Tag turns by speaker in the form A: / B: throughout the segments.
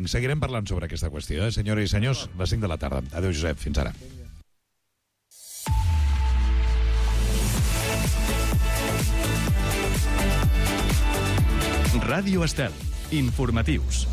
A: 5. Seguirem parlant sobre aquesta qüestió, senyores i senyors, les 5 de la tarda. Adéu, Josep, fins ara.
B: Ràdio Estel. Informatius.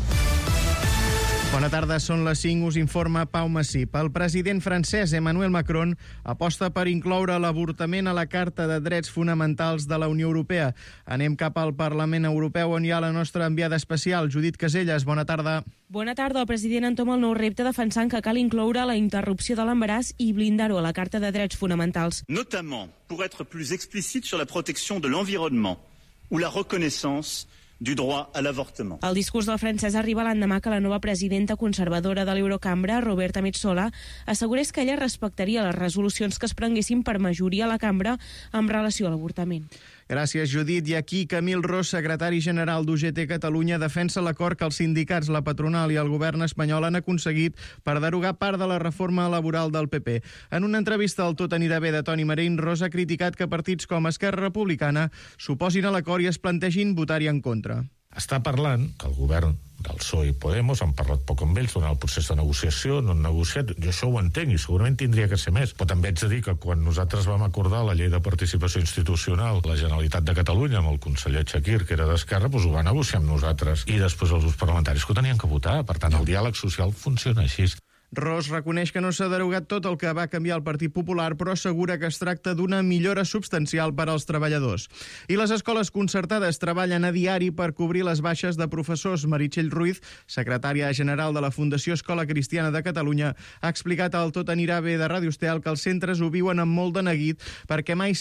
C: Bona tarda, són les 5, us informa Pau Massip. El president francès Emmanuel Macron aposta per incloure l'avortament a la Carta de Drets Fonamentals de la Unió Europea. Anem cap al Parlament Europeu, on hi ha la nostra enviada especial, Judit Caselles. Bona tarda.
D: Bona tarda. El president entoma el nou repte defensant que cal incloure la interrupció de l'embaràs i blindar-ho a la Carta de Drets Fonamentals.
E: Notamment pour être plus explicite sur la protection de l'environnement ou la reconnaissance du droit à l'avortement.
D: El discurs del francès arriba l'endemà que la nova presidenta conservadora de l'Eurocambra, Roberta Metsola, assegurés que ella respectaria les resolucions que es prenguessin per majoria a la cambra en relació a l'avortament.
C: Gràcies, Judit. I aquí Camil Ros, secretari general d'UGT Catalunya, defensa l'acord que els sindicats, la patronal i el govern espanyol han aconseguit per derogar part de la reforma laboral del PP. En una entrevista al Tot anirà bé de Toni Marín, Ros ha criticat que partits com Esquerra Republicana s'oposin a l'acord i es plantegin votar-hi en contra.
F: Està parlant que el govern del PSOE i Podemos han parlat poc amb ells durant el procés de negociació, no han negociat, jo això ho entenc i segurament tindria que ser més, però també haig de dir que quan nosaltres vam acordar la llei de participació institucional, la Generalitat de Catalunya amb el conseller Chakir, que era d'Esquerra, doncs ho va negociar amb nosaltres i després els grups parlamentaris que ho tenien que votar, per tant el diàleg social funciona així.
C: Ros reconeix que no s'ha derogat tot el que va canviar el Partit Popular, però assegura que es tracta d'una millora substancial per als treballadors. I les escoles concertades treballen a diari per cobrir les baixes de professors. Meritxell Ruiz, secretària general de la Fundació Escola Cristiana de Catalunya, ha explicat al Tot anirà bé de Ràdio Estel que els centres ho viuen amb molt de neguit perquè mai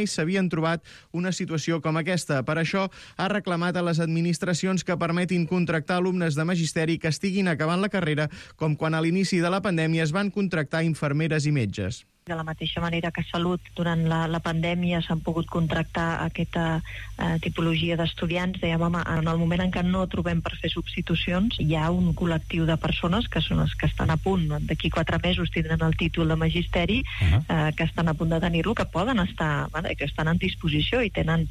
C: s'havien trobat una situació com aquesta. Per això ha reclamat a les administracions que permetin contractar alumnes de magisteri que estiguin acabant la carrera, com quan a l'inici de la pandèmia es van contractar infermeres i metges.
G: De la mateixa manera que Salut, durant la pandèmia s'han pogut contractar aquesta tipologia d'estudiants, dèiem, home, en el moment en què no trobem per fer substitucions, hi ha un col·lectiu de persones que són les que estan a punt, d'aquí 4 mesos tindran el títol de magisteri, que estan a punt de tenir-lo, que poden estar, que estan en disposició i tenen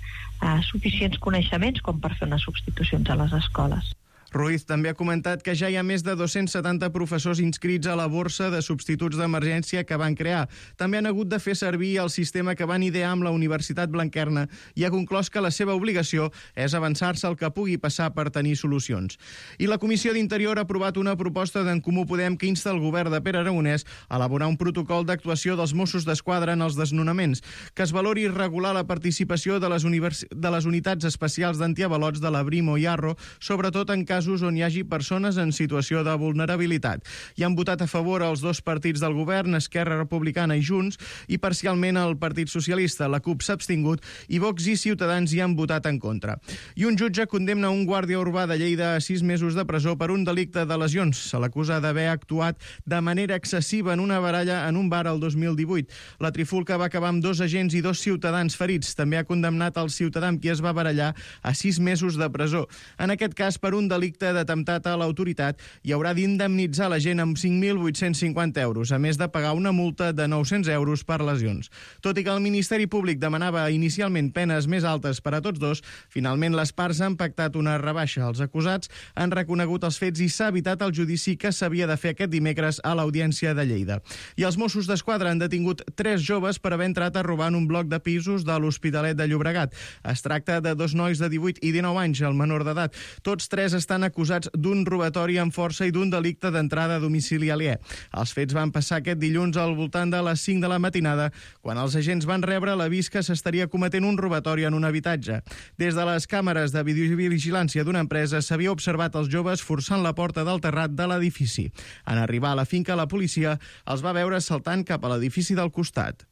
G: suficients coneixements com per fer unes substitucions a les escoles.
C: Ruiz també ha comentat que ja hi ha més de 270 professors inscrits a la borsa de substituts d'emergència que van crear. També han hagut de fer servir el sistema que van idear amb la Universitat Blanquerna i ha conclòs que la seva obligació és avançar-se el que pugui passar per tenir solucions. I la Comissió d'Interior ha aprovat una proposta d'en Comú Podem que insta el govern de Pere Aragonès a elaborar un protocol d'actuació dels Mossos d'Esquadra en els desnonaments, que es valori regular la participació de les unitats especials d'antiavalots de la Brimo i Arro, sobretot en casos on hi hagi persones en situació de vulnerabilitat. Hi han votat a favor els dos partits del govern, Esquerra Republicana i Junts, i parcialment el Partit Socialista. La CUP s'ha abstingut i Vox i Ciutadans hi han votat en contra. I un jutge condemna un guàrdia urbà de Lleida a 6 mesos de presó per un delicte de lesions. Se l'acusa d'haver actuat de manera excessiva en una baralla en un bar el 2018. La trifulca va acabar amb 2 agents i 2 ciutadans ferits. També ha condemnat el ciutadà amb qui es va barallar a 6 mesos de presó. En aquest cas, per un delicte d'atemptat a l'autoritat, i haurà d'indemnitzar la gent amb 5.850 euros, a més de pagar una multa de 900 euros per lesions. Tot i que el Ministeri Públic demanava inicialment penes més altes per a tots dos, finalment les parts han pactat una rebaixa. Els acusats han reconegut els fets i s'ha evitat el judici que s'havia de fer aquest dimecres a l'Audiència de Lleida. I els Mossos d'Esquadra han detingut 3 joves per haver entrat a robar en un bloc de pisos de l'Hospitalet de Llobregat. Es tracta de 2 nois de 18 i 19 anys, el menor d'edat. Tots 3 estan acusats d'un robatori amb força i d'un delicte d'entrada a domicili aliè. Els fets van passar aquest dilluns al voltant de les 5 de la matinada, quan els agents van rebre l'avís que s'estaria cometent un robatori en un habitatge. Des de les càmeres de videovigilància d'una empresa s'havia observat els joves forçant la porta del terrat de l'edifici. En arribar a la finca, la policia els va veure saltant cap a l'edifici del costat.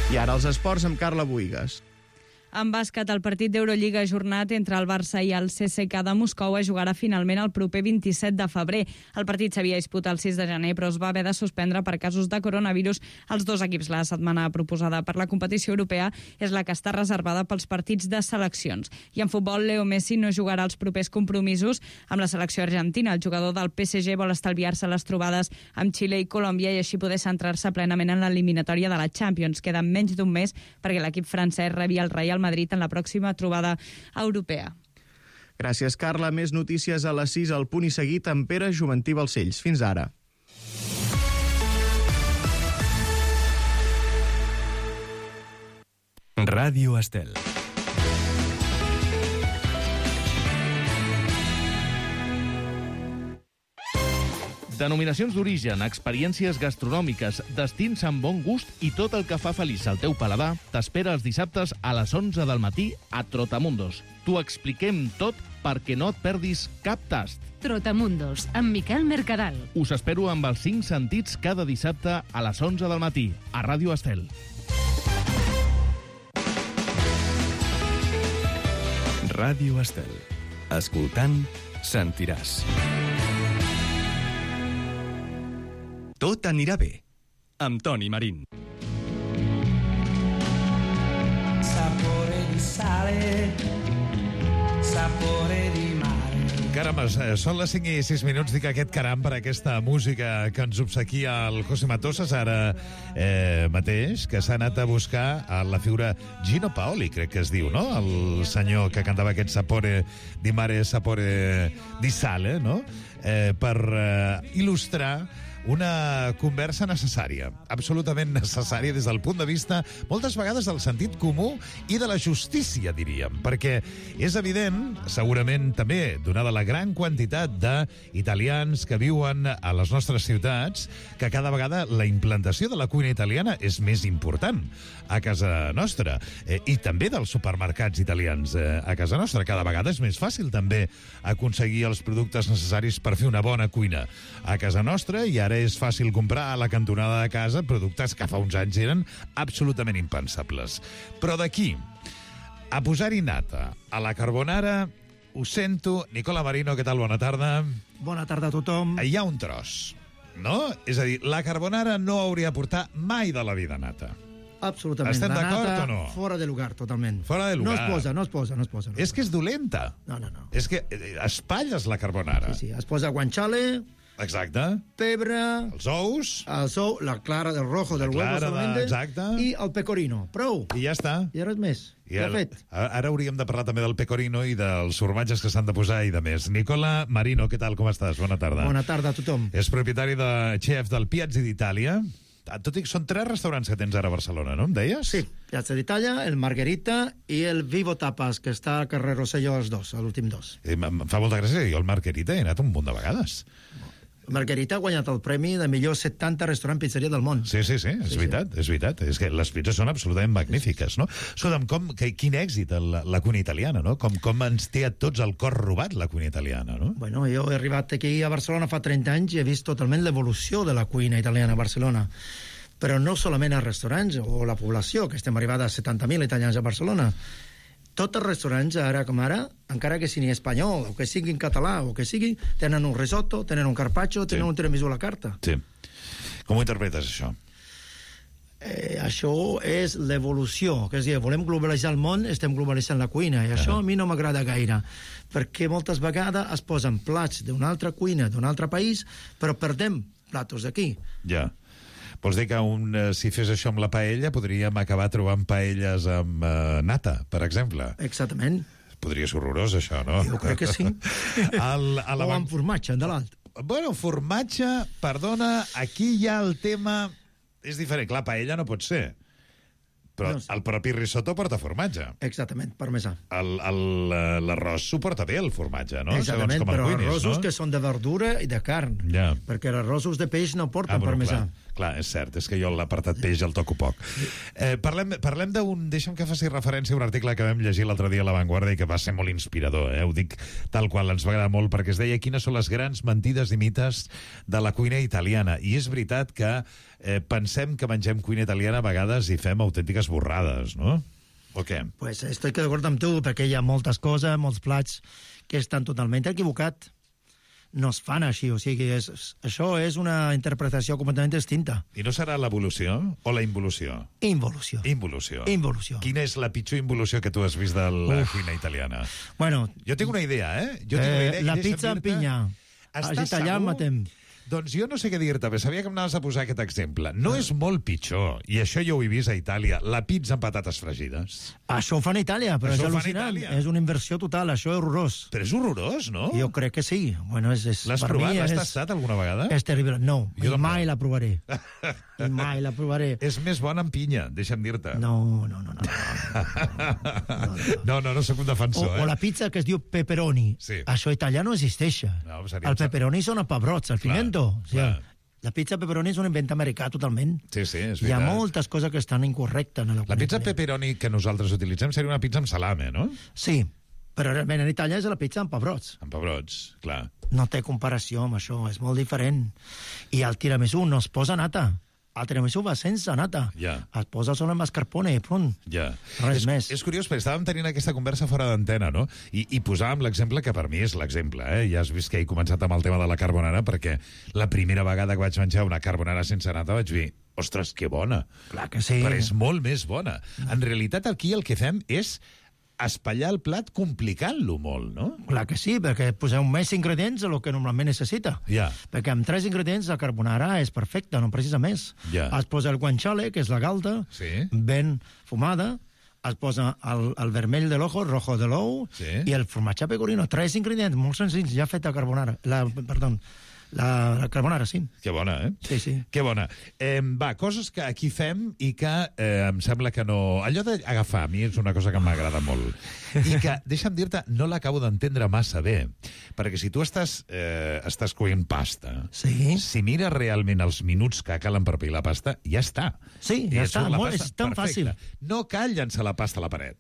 C: I ara els esports amb Carla Buïgas.
H: En bàsquet, el partit d'Eurolliga ajornat entre el Barça i el CSKA de Moscou es jugarà finalment el proper 27 de febrer. El partit s'havia disputat el 6 de gener, però es va haver de suspendre per casos de coronavirus als 2 equips. La setmana proposada per la competició europea és la que està reservada pels partits de seleccions. I en futbol, Leo Messi no jugarà els propers compromisos amb la selecció argentina. El jugador del PSG vol estalviar-se les trobades amb Xile i Colòmbia i així poder centrar-se plenament en l'eliminatòria de la Champions. Queda menys d'un mes perquè l'equip francès rebi el Real Madrid en la pròxima trobada europea.
C: Gràcies, Carla. Més notícies a les 6 al Punt i Seguit amb Pere Juventí Balcells. Fins ara.
B: Ràdio Estel. Denominacions d'origen, experiències gastronòmiques, destins amb bon gust i tot el que fa feliç al teu paladar t'espera els dissabtes a les 11 del matí a Trotamundos. T'ho expliquem tot perquè no et perdis cap tast.
I: Trotamundos, amb Miquel Mercadal.
B: Us espero amb els 5 sentits cada dissabte a les 11 del matí a Ràdio Estel. Ràdio Estel. Escoltant, sentiràs. Tot anirà bé, amb Toni Marín.
J: Sapore di sale, sapore di mare.
A: Caram, són les 5 i 6 minuts. Dic aquest caram per aquesta música que ens obsequia el José Matosas ara mateix, que s'ha anat a buscar a la figura Gino Paoli, crec que es diu, no? El senyor que cantava aquest Sapore di mare, sapore di sale, no? Per il·lustrar una conversa necessària, absolutament necessària des del punt de vista, moltes vegades, del sentit comú i de la justícia, diríem, perquè és evident, segurament també, donada la gran quantitat d'italians que viuen a les nostres ciutats, que cada vegada la implantació de la cuina italiana és més important a casa nostra, i també dels supermercats italians a casa nostra. Cada vegada és més fàcil també aconseguir els productes necessaris per fer una bona cuina a casa nostra, i ara és fàcil comprar a la cantonada de casa productes que fa uns anys eren absolutament impensables. Però d'aquí a posar-hi nata a la carbonara, ho sento. Nicola Marino, què tal? Bona tarda.
K: Bona tarda a tothom.
A: Hi ha un tros, no? És a dir, la carbonara no hauria de portar mai de la vida nata.
K: Absolutament.
A: Estem d'acord o no?
K: Fora de lugar, totalment.
A: Fora de lugar.
K: No es posa.
A: És que és dolenta.
K: No.
A: És que espatlles la carbonara.
K: Sí, es posa guanciale,
A: exacte,
K: pebre,
A: els ous,
K: la clara del rojo del huevo solamente,
A: exacte,
K: i el pecorino. Prou.
A: I ja està.
K: I res més. Ja fet.
A: Ara hauríem de parlar també del pecorino i dels formatges que s'han de posar i de més. Nicola Marino, què tal, com estàs? Bona tarda.
K: Bona tarda a tothom.
A: És propietari de xef del Piazzi d'Itàlia. Tot i que són 3 restaurants que tens ara a Barcelona, no em deies?
K: Sí, Piazza d'Itàlia, el Margherita i el Vivo Tapas, que està al carrer Rosselló, els dos, l'últim dos.
A: Em fa molta gràcia, jo al Margherita he anat un munt de vegades.
K: Margherita ha guanyat el premi de millor 70 restaurant pizzeria del món.
A: Sí, és veritat. És que les pizzas són absolutament magnífiques, no? Escolta'm, quin èxit la cuina italiana, no? Com ens té a tots el cor robat la cuina italiana, no?
K: Bueno, jo he arribat aquí a Barcelona fa 30 anys i he vist totalment l'evolució de la cuina italiana a Barcelona. Però no solament als restaurants o la població, que estem arribant a 70.000 italians a Barcelona. Tots els restaurants, ara com ara, encara que sigui espanyol, o que sigui en català, o que sigui, tenen un risotto, tenen un carpaccio, tenen un tiramisù a la carta.
A: Sí. Com ho interpretes, això?
K: Això és l'evolució, que és dir, volem globalitzar el món, estem globalitzant la cuina, i això a mi no m'agrada gaire, perquè moltes vegades es posen plats d'una altra cuina, d'un altre país, però perdem platos d'aquí.
A: Ja. Vols dir que si fes això amb la paella podríem acabar trobant paelles amb nata, per exemple?
K: Exactament.
A: Podria ser horrorós, això, no?
K: Jo crec que sí. O amb formatge, de l'alt.
A: Bueno, formatge, perdona, aquí hi ha el tema... És diferent, clar, paella no pot ser. Però el propi risotto porta formatge.
K: Exactament, parmesà.
A: L'arròs suporta bé el formatge, no?
K: Exactament, però arrossos que són de verdura i de carn. Perquè els arrossos de peix no porten parmesà.
A: Clar, és cert, és que jo l'apartat peix el toco poc. Parlem d'un... Deixa'm que faci referència a un article que vam llegir l'altre dia a La Vanguardia i que va ser molt inspirador, ho dic tal qual, ens va agradar molt, perquè es deia quines són les grans mentides i mites de la cuina italiana. I és veritat que pensem que mengem cuina italiana a vegades i fem autèntiques borrades, no? O què?
K: Pues estoy d'acord amb tu, perquè hi ha moltes coses, molts plats que estan totalment equivocats. No es fan així, o sigui, això és una interpretació completament distinta.
A: I no serà l'evolució o la involució?
K: Involució.
A: Involució. Quina és la pitjor involució que tu has vist de la cuina italiana?
K: Bueno...
A: Jo tinc una idea,
K: la pizza amb pinya. Els italians matem.
A: Doncs jo no sé què dir-te, però sabia que m'anaves a posar aquest exemple. No és molt pitjor, i això jo ho he vist a Itàlia, la pizza amb patates fregides.
K: Això ho fan a Itàlia, però
A: Això
K: és
A: ho fan a
K: al·lucinant.
A: Itàlia.
K: És una inversió total, això és horrorós.
A: Però és horrorós, no?
K: Jo crec que sí. Bueno,
A: L'has
K: per
A: provat?
K: mi
A: L'has tastat alguna vegada?
K: És terrible. No,
A: Jo tampoc.
K: mai la provaré. I mai la provaré.
A: És més bona amb pinya, deixa'm dir-te.
K: No.
A: No soc un defensor,
K: O la pizza que es diu pepperoni.
A: Sí.
K: Això a Itàlia no existeix.
A: No, seria
K: El pepperoni són a pebrots, el pimiento. O sigui,
A: clar.
K: la pizza pepperoni és un invent americà totalment.
A: Sí, és
K: Hi ha
A: veritat.
K: moltes coses que estan incorrectes. En
A: La pizza pepperoni que nosaltres utilitzem seria una pizza amb salame, no?
K: Sí, però realment en Itàlia és la pizza amb pebrots.
A: Amb pebrots, clar.
K: No té comparació amb això, és molt diferent. I al tiramisú no es posa nata. El tiramisú va sense nata.
A: Ja.
K: Es posa solo amb mascarpone i punt.
A: Ja.
K: Res més.
A: És curiós, perquè estàvem tenint aquesta conversa fora d'antena, no? I posàvem l'exemple que per mi és l'exemple, eh? Ja has vist que he començat amb el tema de la carbonara, perquè la primera vegada que vaig menjar una carbonara sense nata vaig dir, ostres, que bona.
K: Clar que sí.
A: Però és molt més bona. En realitat, aquí el que fem és espatllar el plat complicant-lo molt, no?
K: Clar que sí, perquè poseu més ingredients del que normalment necessita.
A: Ja.
K: Perquè amb 3 ingredients la carbonara és perfecta, no precisa més.
A: Ja.
K: Es posa el guanciale, que és la galta,
A: Sí.
K: ben fumada, es posa el vermell de l'ojo, el rojo de l'ou,
A: Sí.
K: i el formatge pecorino. 3 ingredients molt senzills, ja feta carbonara. La carbonara, sí.
A: Que bona, eh?
K: Sí, sí.
A: Que bona. Va, coses que aquí fem i que em sembla que no... Allò d'agafar, a mi és una cosa que m'agrada molt. I que, deixa'm dir-te, no l'acabo d'entendre massa bé. Perquè si tu estàs coent pasta,
K: Sí.
A: si mires realment els minuts que calen per pilar la pasta, ja està.
K: Sí,
A: I
K: ja
A: et
K: està.
A: surt la
K: Molt,
A: pasta
K: és tan
A: perfecta.
K: fàcil.
A: No cal llançar la pasta a la paret.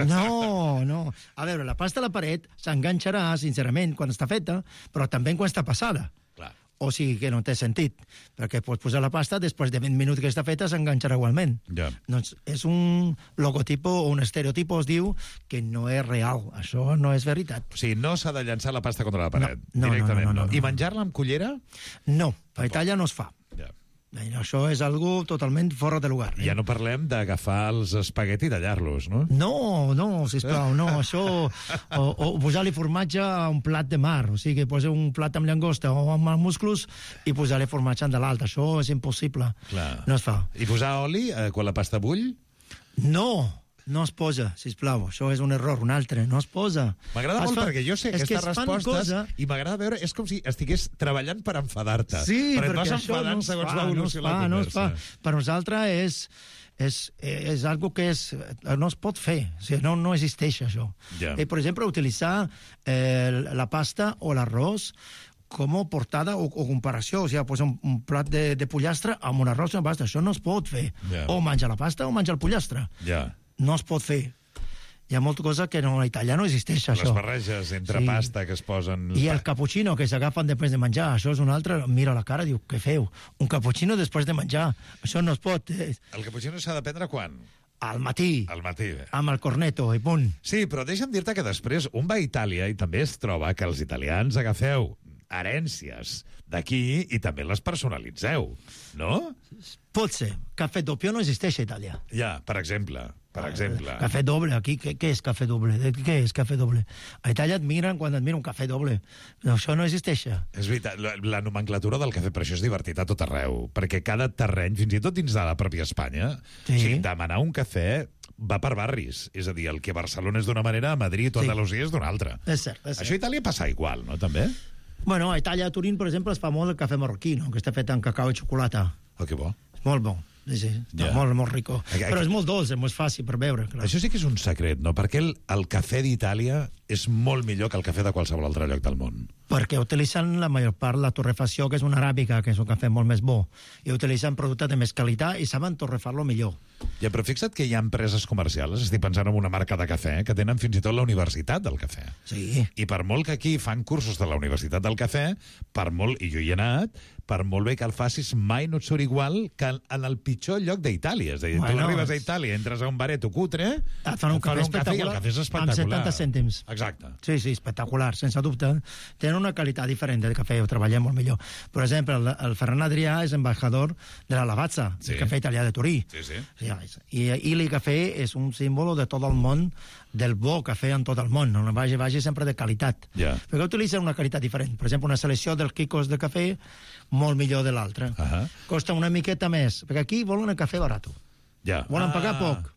K: No. A veure, la pasta a la paret s'enganxarà, sincerament, quan està feta, però també quan està passada.
A: Clar.
K: O sigui que no té sentit, perquè pots posar la pasta, després de 20 minuts que està feta s'enganxarà igualment.
A: Ja.
K: Doncs és un logotipo o un estereotipo, es diu, que no és real. Això no és veritat.
A: O sigui, no s'ha de llançar la pasta contra la paret.
K: No,
A: directament,
K: no.
A: I menjar-la amb cullera?
K: No, a Itàlia no es fa.
A: Ja.
K: Això és algo totalment fora de lugar.
A: Ja no parlem d'agafar els espagueti i tallar-los, no?
K: No, sisplau, no, això... O posar-li formatge a un plat de mar, o sigui, posar un plat amb llangosta o amb musclos i posar-li formatge de l'altre, això és impossible.
A: Clar.
K: No es fa.
A: I posar oli quan la pasta bull?
K: No es posa, sisplau, això és un error, un altre, no es posa.
A: M'agrada molt perquè jo sé aquestes respostes i m'agrada veure, és com si estigués treballant per enfadar-te.
K: Sí,
A: perquè et
K: perquè
A: vas
K: això
A: enfadant
K: no es
A: segons
K: fa,
A: va evolucionar la
K: no es fa.
A: conversa.
K: Per nosaltres és algo que no es pot fer, o sigui, no existeix això.
A: Ja.
K: Per exemple, utilitzar la pasta o l'arròs com a portada o comparació, o sigui, posar un plat de pollastre amb un arròs i una pasta, això no es pot fer.
A: Ja.
K: O menja la pasta o menja el pollastre.
A: Ja.
K: No es pot fer. Hi ha molta cosa que a Itàlia no existeix, això.
A: Les barreges entre pasta que es posen...
K: I el cappuccino que s'agafen després de menjar, això és un altre, mira la cara i diu, què feu? Un cappuccino després de menjar, això no es pot.
A: El cappuccino s'ha de prendre quan?
K: Al matí.
A: Al matí.
K: Amb el corneto i punt.
A: Sí, però deixa'm dir-te que després un va a Itàlia i també es troba que els italians agafeu herències d'aquí i també les personalitzeu, no?
K: Pot ser. Cafè doppio no existeix a Itàlia.
A: Ja, per exemple.
K: Cafè doble, aquí, què és cafè doble? Què és cafè doble? A Itàlia et miren quan et miren un cafè doble. No, això no existeix.
A: És veritat, la nomenclatura del cafè, per això és divertit a tot arreu, perquè cada terreny, fins i tot dins de la pròpia Espanya,
K: Sí.
A: o sigui, demanar un cafè va per barris. És a dir, el que a Barcelona és d'una manera, a Madrid o a
K: Sí.
A: Andalusia és d'una altra.
K: És cert.
A: Això a Itàlia passa igual, no, també?
K: Bueno, a Itàlia, a Turín, per exemple, es fa molt el cafè marroquí, no? Que està fet amb cacau i xocolata.
A: Oh, que bo.
K: És molt bo. Sí.
A: Ja.
K: Molt rico. Però és molt dolç, és molt fàcil per beure. Clar.
A: Això sí que és un secret, no? Perquè el cafè d'Itàlia és molt millor que el cafè de qualsevol altre lloc del món.
K: Perquè utilitzen la major part la torrefacció, que és una aràbica, que és un cafè molt més bo, i utilitzen productes de més qualitat i saben torrefar-lo millor.
A: Ja, però fixa't que hi ha empreses comercials, estic pensant en una marca de cafè, que tenen fins i tot la Universitat del Cafè.
K: Sí.
A: I per molt que aquí fan cursos de la Universitat del Cafè, per molt, i jo hi he anat, per molt bé que el facis, mai no et surt igual que en el pitjor lloc d'Itàlia. És a dir, tu arribes a Itàlia, entres a un bareto cutre,
K: et fan un cafè
A: i el
K: espectacular
A: cafè és espectacular.
K: amb 70 cèntims.
A: Exacte.
K: Sí, espectacular, sense dubte. Tenen una qualitat diferent de cafè, ho treballem molt millor. Per exemple, el Ferran Adrià és embajador de la Lavazza, el cafè italià de Turí.
A: Sí.
K: I Ili Cafè és un símbol de tot el món, del bo cafè en tot el món. No vagi sempre de qualitat.
A: Yeah.
K: Perquè utilitzen una qualitat diferent. Per exemple, una selecció dels quicos de cafè molt millor de l'altra. Costa una miqueta més, perquè aquí volen el cafè barat. Volen pagar poc.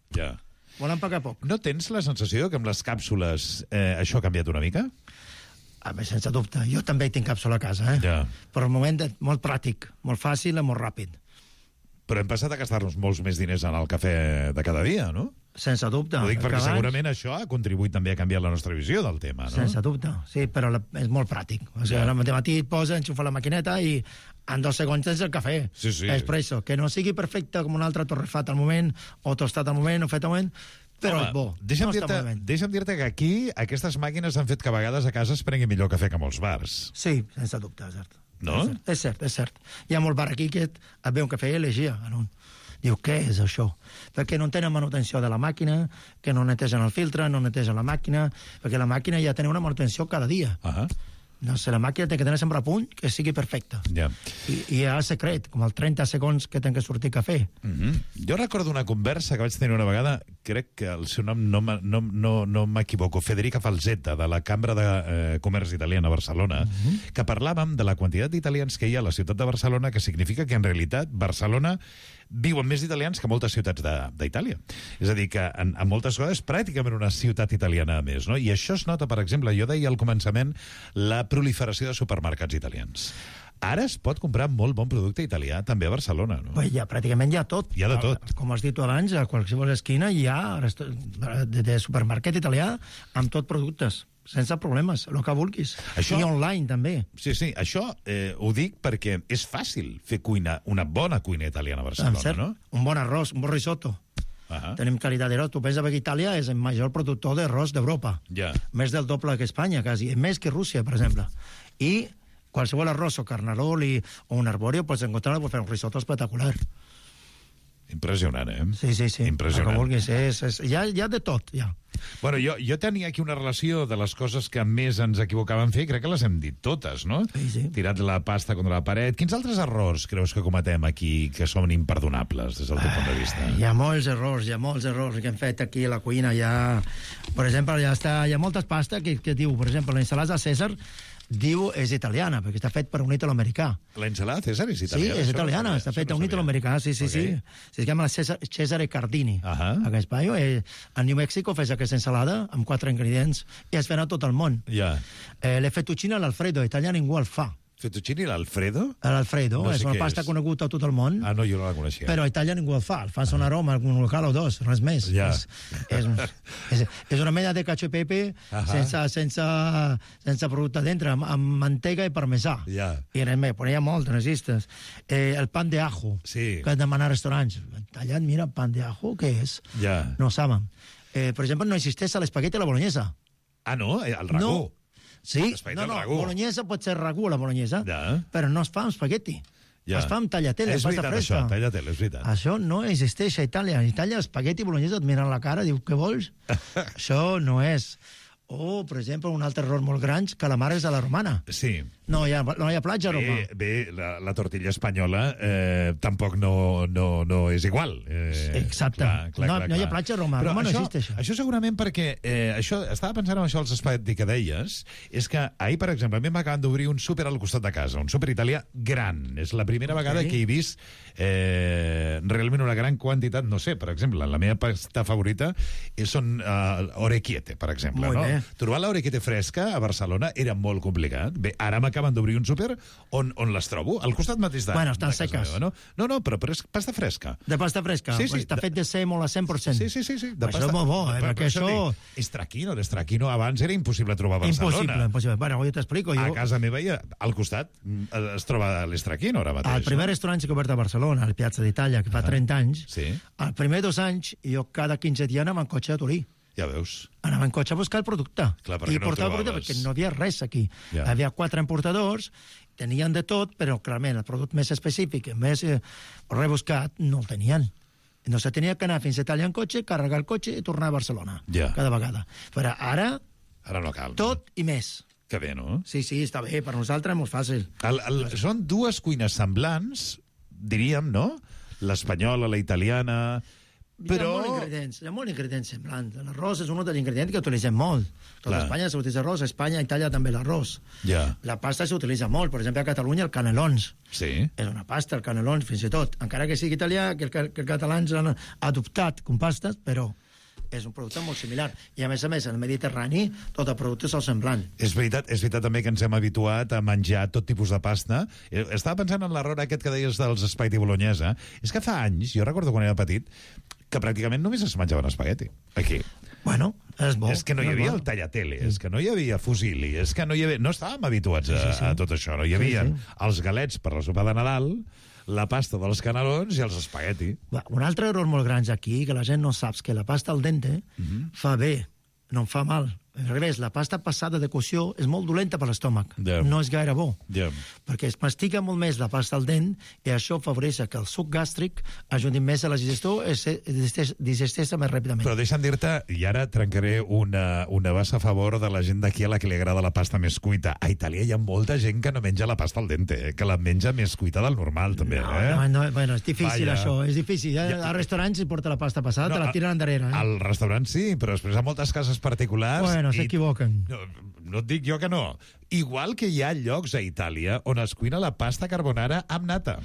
K: Volen pagar poc.
A: No tens la sensació que amb les càpsules això ha canviat una mica?
K: Sense dubte. Jo també tinc càpsula a casa, Però el moment molt pràctic, molt fàcil i molt ràpid.
A: Però hem passat a gastar-nos molts més diners en el cafè de cada dia, no?
K: Sense dubte.
A: Ho dic perquè segurament això ha contribuït també a canviar la nostra visió del tema, no?
K: Sense dubte, sí, però és molt pràctic. O sigui, al matí et posa, enxufa la maquineta i en 2 segons tens el cafè. Espresso. Que no sigui perfecte com un altre torrefat al moment, o tostat al moment, o fet al moment, però és bo.
A: Deixa'm dir-te que aquí aquestes màquines han fet que a vegades a casa es prengui millor cafè que a molts bars.
K: Sí, sense dubte, és cert.
A: No?
K: És cert. Hi ha molt bar aquí que et ve un cafè i elegia. Diu, què és això? Perquè no tenen manutenció de la màquina, que no netegen el filtre, no netegen la màquina, perquè la màquina ja té una manutenció cada dia. No sé, la màquina té que tenir sempre a punt, que sigui perfecta. I hi ha el secret, com el 30 segons que ten que sortir cafè.
A: Jo recordo una conversa que vaig tenir una vegada, crec que el seu nom no m'equivoco, Federica Falzetta, de la Cambra de Comerç Italiana a Barcelona, que parlàvem de la quantitat d'italians que hi ha a la ciutat de Barcelona, que significa que en realitat Barcelona viuen més italians que moltes ciutats d'Itàlia. És a dir, que en moltes coses és pràcticament una ciutat italiana a més, no? I això es nota, per exemple, jo deia al començament, la proliferació de supermercats italians. Ara es pot comprar molt bon producte italià també a Barcelona, no?
K: Pràcticament hi ha tot.
A: Hi ha de tot.
K: Com has dit tu abans, a qualsevol esquina hi ha de supermercat italià amb tot productes, sense problemes, el que vulguis. I online, també.
A: Sí, això ho dic perquè és fàcil fer una bona cuina italiana a Barcelona, no?
K: Un bon arròs, un bon risotto. Tenim qualitat d'arròs. Tu pensa que Itàlia és el major productor d'arròs d'Europa. Més del doble que Espanya, quasi. Més que Rússia, per exemple. I qualsevol arròs o carnarol o un arbóreo pots encontrar per fer un risotto espectacular.
A: Impressionant,
K: Sí.
A: Impressionant.
K: El que vulguis. Hi ha de tot, ja.
A: Bueno, jo tenia aquí una relació de les coses que més ens equivocàvem fer, crec que les hem dit totes, no?
K: Sí.
A: Tirat la pasta contra la paret. Quins altres errors creus que cometem aquí que són imperdonables des del teu punt de vista?
K: Hi ha molts errors que hem fet aquí a la cuina. Per exemple, hi ha moltes pastes que diu, per exemple, l'ensalada Cèsar diu és italiana, perquè està fet per un italo-americà.
A: L'ensalada Cèsar és italiana?
K: Sí, és italiana, està feta un italo-americà, sí. Se llama Cesare Cardini. Aquest paio, a New Mexico fes aquesta ensalada amb 4 ingredients i es ven a tot el món. Le fettuccine all'Alfredo, italià ningú el fa.
A: Fettuccine l'Alfredo?
K: L'Alfredo, és una pasta coneguda a tot el món.
A: No, jo no la coneixia.
K: Però a Itàlia ningú el fa. El fa un aroma, un local o dos, res més. És una mena de cacio e pepe sense producte dintre, amb mantega i parmesà. I res més, però hi ha molts, no existes. El pan de ajo, que has demanat a restaurants. Tallat, mira, pan de ajo, què és? No ho saben. Per exemple, no existeix l'espagueti a la bolognesa.
A: No? El ragú?
K: Sí, bolognesa pot ser ragú a la bolognesa, però no es fa amb espagueti. Es fa amb tagliatelle, pasta fresca.
A: És veritat.
K: Això no existeix a Itàlia. A Itàlia, espagueti i bolognesa et miren la cara, diu, què vols? Això no és. O, per exemple, un altre error molt gran, calamares a la romana.
A: Sí.
K: No hi ha platja a Roma.
A: Bé, la tortilla espanyola tampoc no és igual.
K: Exacte. No hi ha platja a Roma. Roma no existeix.
A: Això segurament perquè... estava pensant en això, els espagueti que deies, és que ahir, per exemple, a mi m'acaben d'obrir un súper al costat de casa, un súper italià gran. És la primera vegada que he vist realment una gran quantitat, no sé, per exemple, la meva pasta favorita són orecchiette, per exemple.
K: Molt bé.
A: Trobar l'orecchiette fresca a Barcelona era molt complicat. Bé, ara m'acaben d'obrir un súper on les trobo, al costat mateix de...
K: Bueno, estan seques.
A: No, però és pasta fresca.
K: De pasta fresca?
A: Sí.
K: Està fet de sèmol a 100%.
A: Sí.
K: Això és molt bo, perquè això...
A: Estraquino abans era impossible trobar a Barcelona.
K: Impossible. Bueno, jo t'explico.
A: A casa meva, al costat, es troba l'estraquino ara mateix.
K: El primer restaurant que he obert a Barcelona, al Piazza d'Itàlia, que fa 30 anys, els primers 2 anys, jo cada 15 dies anava en cotxe a Turí.
A: Ja veus.
K: Anava en cotxe a buscar el producte.
A: Clar, perquè no
K: portava el producte perquè no havia res aquí. Hi havia 4 importadors, tenien de tot, però clarament el producte més específic, més rebuscat, no el tenien. No se tenia que anar fins a Itàlia en cotxe, carregar el cotxe i tornar a Barcelona. Cada vegada. Però ara
A: Ara no cal.
K: Tot i més.
A: Que bé, no?
K: Sí, està bé, per nosaltres és molt fàcil.
A: Són dues cuines semblants, diríem, no? L'espanyola, la italiana... Però...
K: Hi ha molts ingredients semblants. L'arròs és un dels ingredients que utilitzem molt. Tot Espanya s'utilitza arròs, a Espanya, a Itàlia també l'arròs. La pasta s'utilitza molt. Per exemple, a Catalunya el canelons.
A: Sí.
K: És una pasta, el canelons, fins i tot. Encara que sigui italià, que els catalans han adoptat com pastes, però és un producte molt similar. I a més, el Mediterrani, tot el producte és el semblant.
A: És veritat també que ens hem habituat a menjar tot tipus de pasta. Estava pensant en l'error aquest que deies dels espagueti bolognesa. És que fa anys, jo recordo quan era petit, que pràcticament només es menjaven espagueti. Aquí.
K: Bueno, és bo.
A: És que no hi havia el tallatele, és que no hi havia fusilli, és que no hi havia... No estàvem habituats a tot això, no? Hi havia els galets per la sopa de Nadal, la pasta dels canelons i els espagueti.
K: Un altre error molt gran aquí, que la gent no sap, que la pasta al dente fa bé, no fa mal. Al revés, la pasta passada de cocció és molt dolenta per l'estómac. No és gaire bo. Perquè es mastica molt més la pasta al dent i això afavoreix que el suc gàstric ajudi més a la digestió i digesteix més ràpidament.
A: Però deixa'm dir-te, i ara trencaré una bassa a favor de la gent d'aquí a la que li agrada la pasta més cuita. A Itàlia hi ha molta gent que no menja la pasta al dente, que la menja més cuita del normal, també.
K: Bueno, és difícil això, és difícil. Al restaurant si porta la pasta passada, te la tiren endarrere.
A: Al restaurant sí, però després a moltes cases particulars...
K: No s'equivoquen.
A: No et dic jo que no. Igual que hi ha llocs a Itàlia on es cuina la pasta carbonara amb nata.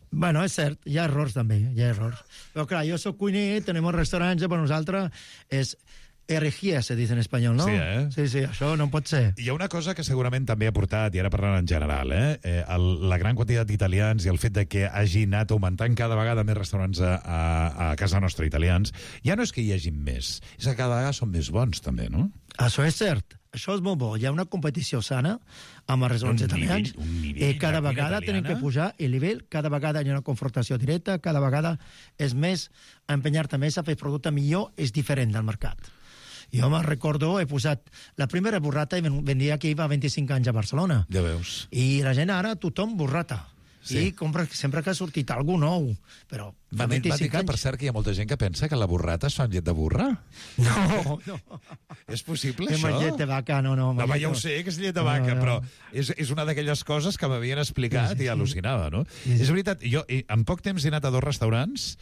K: Bueno, és cert, hi ha errors també, Però clar, jo soc cuiner, tenim un restaurant, per nosaltres és herejía, se dice en espanyol, no? Sí, això no pot ser.
A: Hi ha una cosa que segurament també ha portat, i ara parlant en general, la gran quantitat d'italians i el fet de que hagi anat augmentant cada vegada més restaurants a casa nostra italians, ja no és que hi hagi més, és que cada vegada són més bons, també, no?
K: Això és cert. Això és molt bo. Hi ha una competició sana amb els restaurants italians i cada vegada tenen que pujar el nivell, cada vegada hi ha una confrontació directa, cada vegada és més empenyar-te més a fer producte millor, és diferent del mercat. Jo me'n recordo, he posat la primera burrata i vendia aquí fa 25 anys a Barcelona.
A: Ja veus.
K: I la gent ara, tothom burrata. I compra sempre que ha sortit algú nou. Però fa 25 anys...
A: Per cert, que hi ha molta gent que pensa que la burrata es fa amb llet de burra?
K: No.
A: És possible, això?
K: Amb llet de vaca, no.
A: No, ja ho sé, que és llet de vaca, però és una d'aquelles coses que m'havien explicat i al·lucinava, no? És veritat, jo en poc temps he anat a 2 restaurants,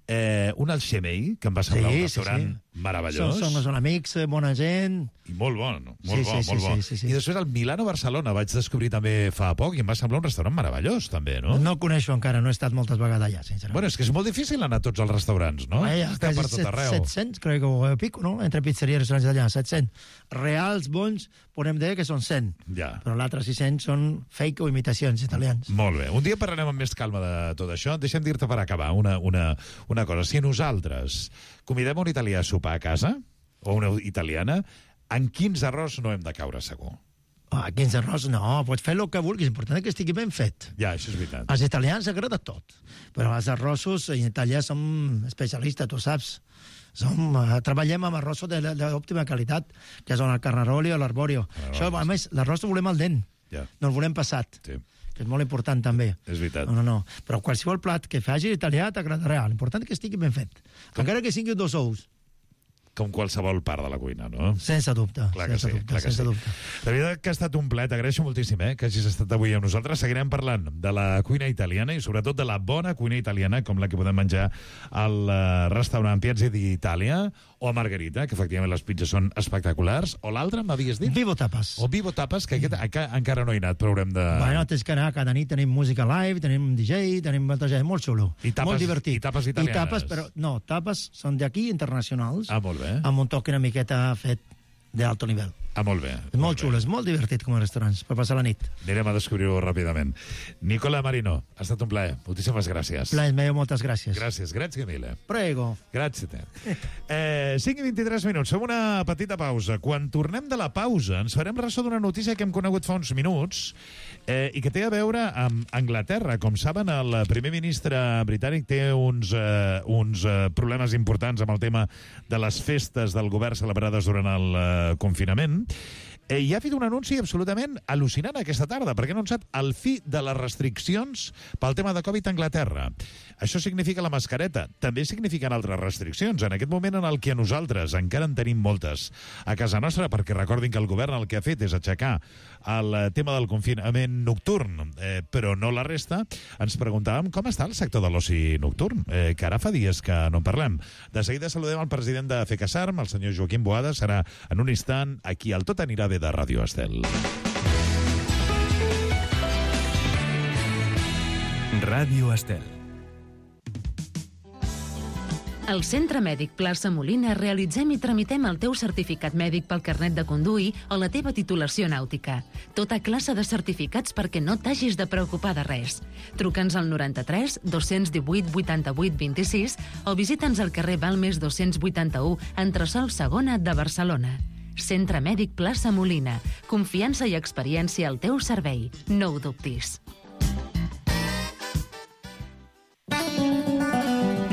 A: un al Xemei, que em va semblar un restaurant meravellós.
K: Són amics, bona gent.
A: I molt bon, molt bo. I després al Milano-Barcelona vaig descobrir també fa poc i em va semblar un restaurant meravellós, també, no?
K: No el coneixo encara, no he estat moltes vegades allà, sincerament.
A: Bueno, és que és molt difícil anar a tots els restaurants, no?
K: Estem per tot arreu. 700, crec que pico, no? Entre pizzeria i restaurants d'allà, 700. Reals, bons, podem dir que són 100. Però l'altre 600 són fake o imitacions italians.
A: Molt bé. Un dia parlarem amb més calma de tot això. Deixa'm dir-te per acabar una cosa. Si nosaltres convidem un italià a sopar a casa, o una italiana, en quins errors no hem de caure, segur?
K: Quins errors no, pots fer el que vulguis, l'important és que estigui ben fet.
A: Ja, això és veritat.
K: Als italians agrada tot, però els arrossos en Itàlia som especialistes, tu saps. Treballem amb arrossos d'òptima qualitat, que són el carnaroli o l'arborio. Això, a més, l'arròs el volem al dent, no el volem passat.
A: Sí.
K: Que és molt important, també.
A: És veritat.
K: No. Però qualsevol plat que faci italià t'agradarà. L'important és que estigui ben fet. Encara que siguin 2 ous.
A: Com qualsevol part de la cuina, no?
K: Sense dubte.
A: Clar que sí. De veritat que ha estat un plaer, t'agraeixo moltíssim que hagis estat avui amb nosaltres. Seguirem parlant de la cuina italiana i sobretot de la bona cuina italiana, com la que podem menjar al restaurant Piazza d'Itàlia o a Margarita, que efectivament les pizzas són espectaculars, o l'altre m'havies dit?
K: Vivo Tapas.
A: O Vivo Tapas, que aquest encara no he anat, però haurem de...
K: Bueno, tens que anar, cada nit tenim música live, tenim DJ, tenim molta gent, molt xulo. Molt divertit.
A: I tapes italianes.
K: I tapes, però no, tapes són d'aquí, internacionals.
A: Molt bé.
K: Amb un toc una miqueta fet d'alto nivell.
A: Molt bé.
K: És molt xulo, és molt divertit com a restaurants, per passar la nit.
A: Anirem a descobrir-ho ràpidament. Nicola Marino, ha estat un plaer. Moltíssimes gràcies.
K: Plaer meu, moltes gràcies.
A: Grazie mille.
K: Prego.
A: Grazie te. 5 i 23 minuts, fem una petita pausa. Quan tornem de la pausa ens farem ressò d'una notícia que hem conegut fa uns minuts i que té a veure amb Anglaterra. Com saben, el primer ministre britànic té uns problemes importants amb el tema de les festes del govern celebrades durant el confinament. hi ha fet un anunci absolutament al·lucinant aquesta tarda, perquè ha anunciat el fi de les restriccions pel tema de Covid a Anglaterra. Això significa la mascareta. També signifiquen altres restriccions. En aquest moment en el que nosaltres encara en tenim moltes a casa nostra, perquè recordin que el govern el que ha fet és aixecar el tema del confinament nocturn, però no la resta, ens preguntàvem com està el sector de l'oci nocturn, que ara fa dies que no en parlem. De seguida saludem el president de FECASARM, el senyor Joaquim Boada, serà en un instant aquí al Tot anirà bé de Ràdio Estel.
L: Ràdio Estel.
I: Al Centre Mèdic Plaça Molina realitzem i tramitem el teu certificat mèdic pel carnet de conduir o la teva titulació nàutica. Tota classe de certificats perquè no t'hagis de preocupar de res. Truca'ns al 93 218 88 26 o visita'ns al carrer Balmes 281, entresòl Segona de Barcelona. Centre Mèdic Plaça Molina. Confiança i experiència al teu servei. No ho dubtis.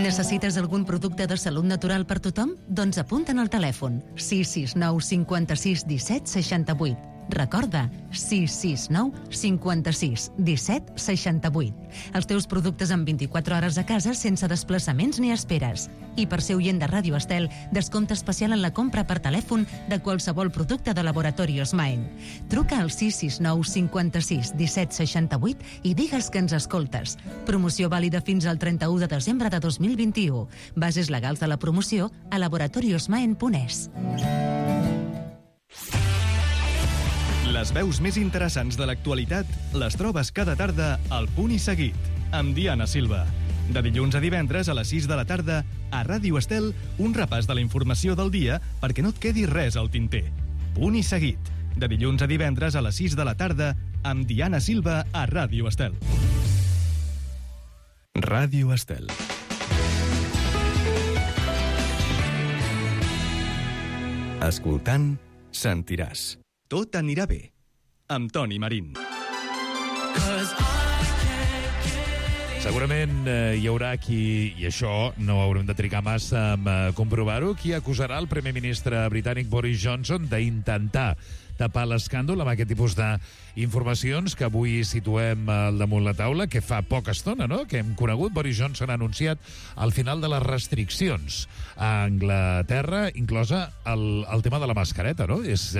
I: Necessites algun producte de salut natural per tothom? Doncs apunta'n al telèfon 669 56 17 68. Recorda, 669 56 17 68. Els teus productes en 24 hores a casa sense desplaçaments ni esperes. I per ser oient de Ràdio Estel, descompte especial en la compra per telèfon de qualsevol producte de Laboratorios Maen. Truca al 669 56 17 68 i digues que ens escoltes. Promoció vàlida fins al 31 de desembre de 2021. Bases legals de la promoció a laboratoriosmaen.es.
L: Les veus més interessants de l'actualitat les trobes cada tarda al Punt i Seguit, amb Diana Silva. De dilluns a divendres a les 6 de la tarda, a Ràdio Estel, un repàs de la informació del dia perquè no et quedi res al tinter. Punt i Seguit, de dilluns a divendres a les 6 de la tarda, amb Diana Silva a Ràdio Estel. Ràdio Estel. Escoltant, sentiràs. Tot anirà bé, amb Toni Marín.
A: Segurament hi haurà qui, i això no haurem de trigar massa a comprovar-ho, qui acusarà el primer ministre britànic Boris Johnson d'intentar tapar l'escàndol amb aquest tipus d'informacions que avui situem al damunt la taula, que fa poca estona, no?, que hem conegut. Boris Johnson ha anunciat el final de les restriccions a Anglaterra, inclosa el tema de la mascareta, no? És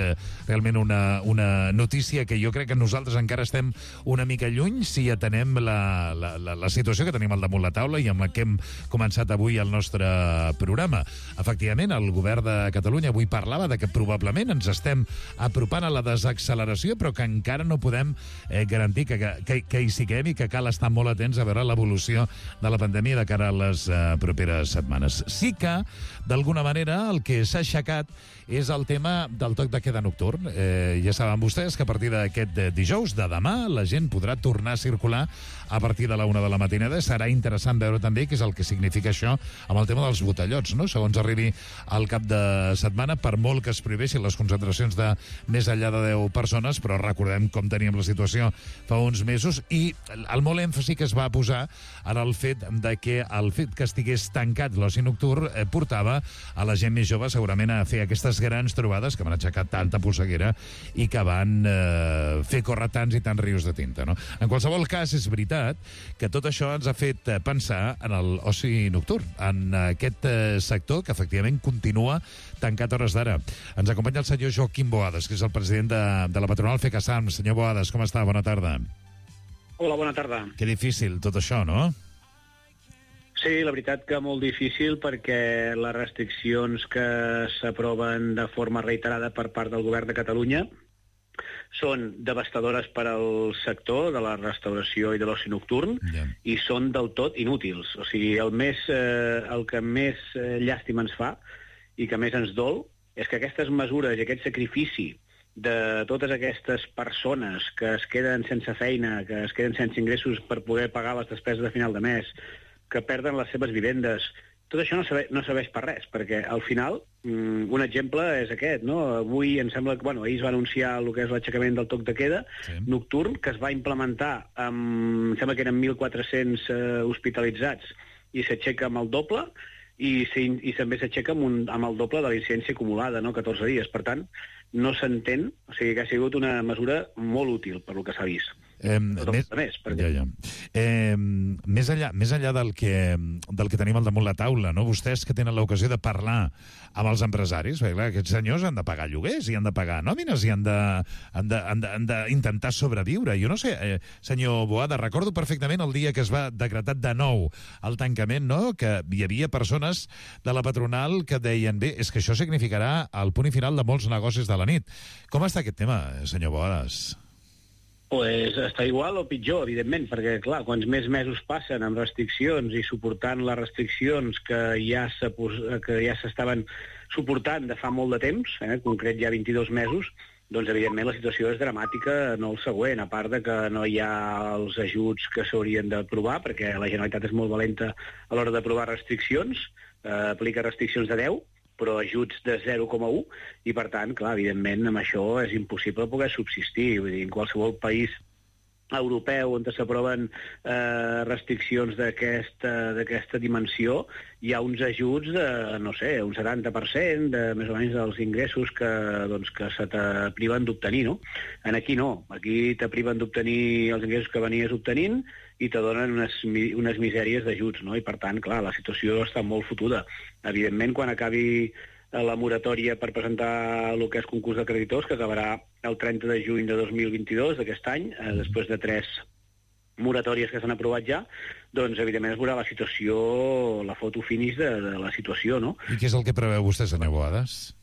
A: realment una notícia que jo crec que nosaltres encara estem una mica lluny si atenem la situació que tenim al damunt la taula i amb la que hem començat avui el nostre programa. Efectivament, el govern de Catalunya avui parlava de que probablement ens estem apropant a la desacceleració, però que encara no podem garantir que hi siguem i que cal estar molt atents a veure l'evolució de la pandèmia de cara a les properes setmanes. Sí que, d'alguna manera, el que s'ha aixecat és el tema del toc de queda nocturn. Ja saben vostès que a partir d'aquest dijous, de demà, la gent podrà tornar a circular a partir de la 1 de la matinada. Serà interessant veure també què és el que significa això amb el tema dels botellots, no? Segons arribi al cap de setmana, per molt que es prohibeixin les concentracions de més enllà de 10 persones, però recordem com teníem la situació fa uns mesos, i el molt èmfasi que es va posar en el fet que estigués tancat l'oci nocturn portava a la gent més jove segurament a fer aquestes grans trobades que van aixecar tanta polseguera i que van fer córrer tants i tants rius de tinta, no? En qualsevol cas, és veritat que tot això ens ha fet pensar en l'oci nocturn, en aquest sector que efectivament continua tancat a hores d'ara. Ens acompanya el senyor Joaquim Boades, que és el president de la patronal FECASARM. Senyor Boades, com està? Bona tarda.
M: Hola, bona tarda.
A: Que difícil tot això, no?
M: Sí, la veritat que molt difícil, perquè les restriccions que s'aproven de forma reiterada per part del govern de Catalunya són devastadores per al sector de la restauració i de l'oci nocturn, i són del tot inútils. O sigui, el que més llàstima ens fa i que més ens dol és que aquestes mesures i aquest sacrifici de totes aquestes persones que es queden sense feina, que es queden sense ingressos per poder pagar les despeses de final de mes, que perden les seves vivendes, tot això no serveix per res, perquè al final, un exemple és aquest, no? Avui em sembla que, ahir es va anunciar el que és l'aixecament del toc de queda nocturn, que es va implementar amb, em sembla que eren 1.400 hospitalitzats, i s'aixeca amb el doble, i també s'aixeca amb el doble de la incidència acumulada, no? 14 dies. Per tant, no s'entén, o sigui que ha sigut una mesura molt útil per lo que s'ha vist. Més
A: enllà del que tenim al damunt la taula, no? Vostès que tenen l'ocasió de parlar amb els empresaris, perquè clar, aquests senyors han de pagar lloguers i han de pagar nòmines i han d'intentar sobreviure. Jo no sé, senyor Boada, recordo perfectament el dia que es va decretar de nou el tancament, no? Que hi havia persones de la patronal que deien, bé, és que això significarà el punt i final de molts negocis de la nit. Com està aquest tema, senyor Boades?
M: Pues està igual o pitjor, evidentment, perquè, clar, quants més mesos passen amb restriccions i suportant les restriccions que ja s'estaven suportant de fa molt de temps, en concret ja 22 mesos, doncs, evidentment, la situació és dramàtica, no el següent, a part de que no hi ha els ajuts que s'haurien d'aprovar, perquè la Generalitat és molt valenta a l'hora d'aprovar restriccions, aplica restriccions de 10, però ajuts de 0,1, i per tant, clar, evidentment, amb això és impossible poder subsistir. Vull dir, en qualsevol país europeu on s'aproven restriccions d'aquesta dimensió, hi ha uns ajuts de, no sé, un 70% de més o menys dels ingressos que se te priven d'obtenir, no? Aquí no, aquí te priven d'obtenir els ingressos que venies obtenint i te donen unes misèries d'ajuts, no? I per tant, clar, la situació està molt fotuda. Evidentment, quan acabi la moratòria per presentar el que és concurs de creditors, que acabarà el 30 de juny de 2022, d'aquest any, després de 3 moratòries que s'han aprovat ja, doncs, evidentment, es veurà la situació, la foto finish de la situació, no?
A: I què és el que preveu vostè, senyor Boades?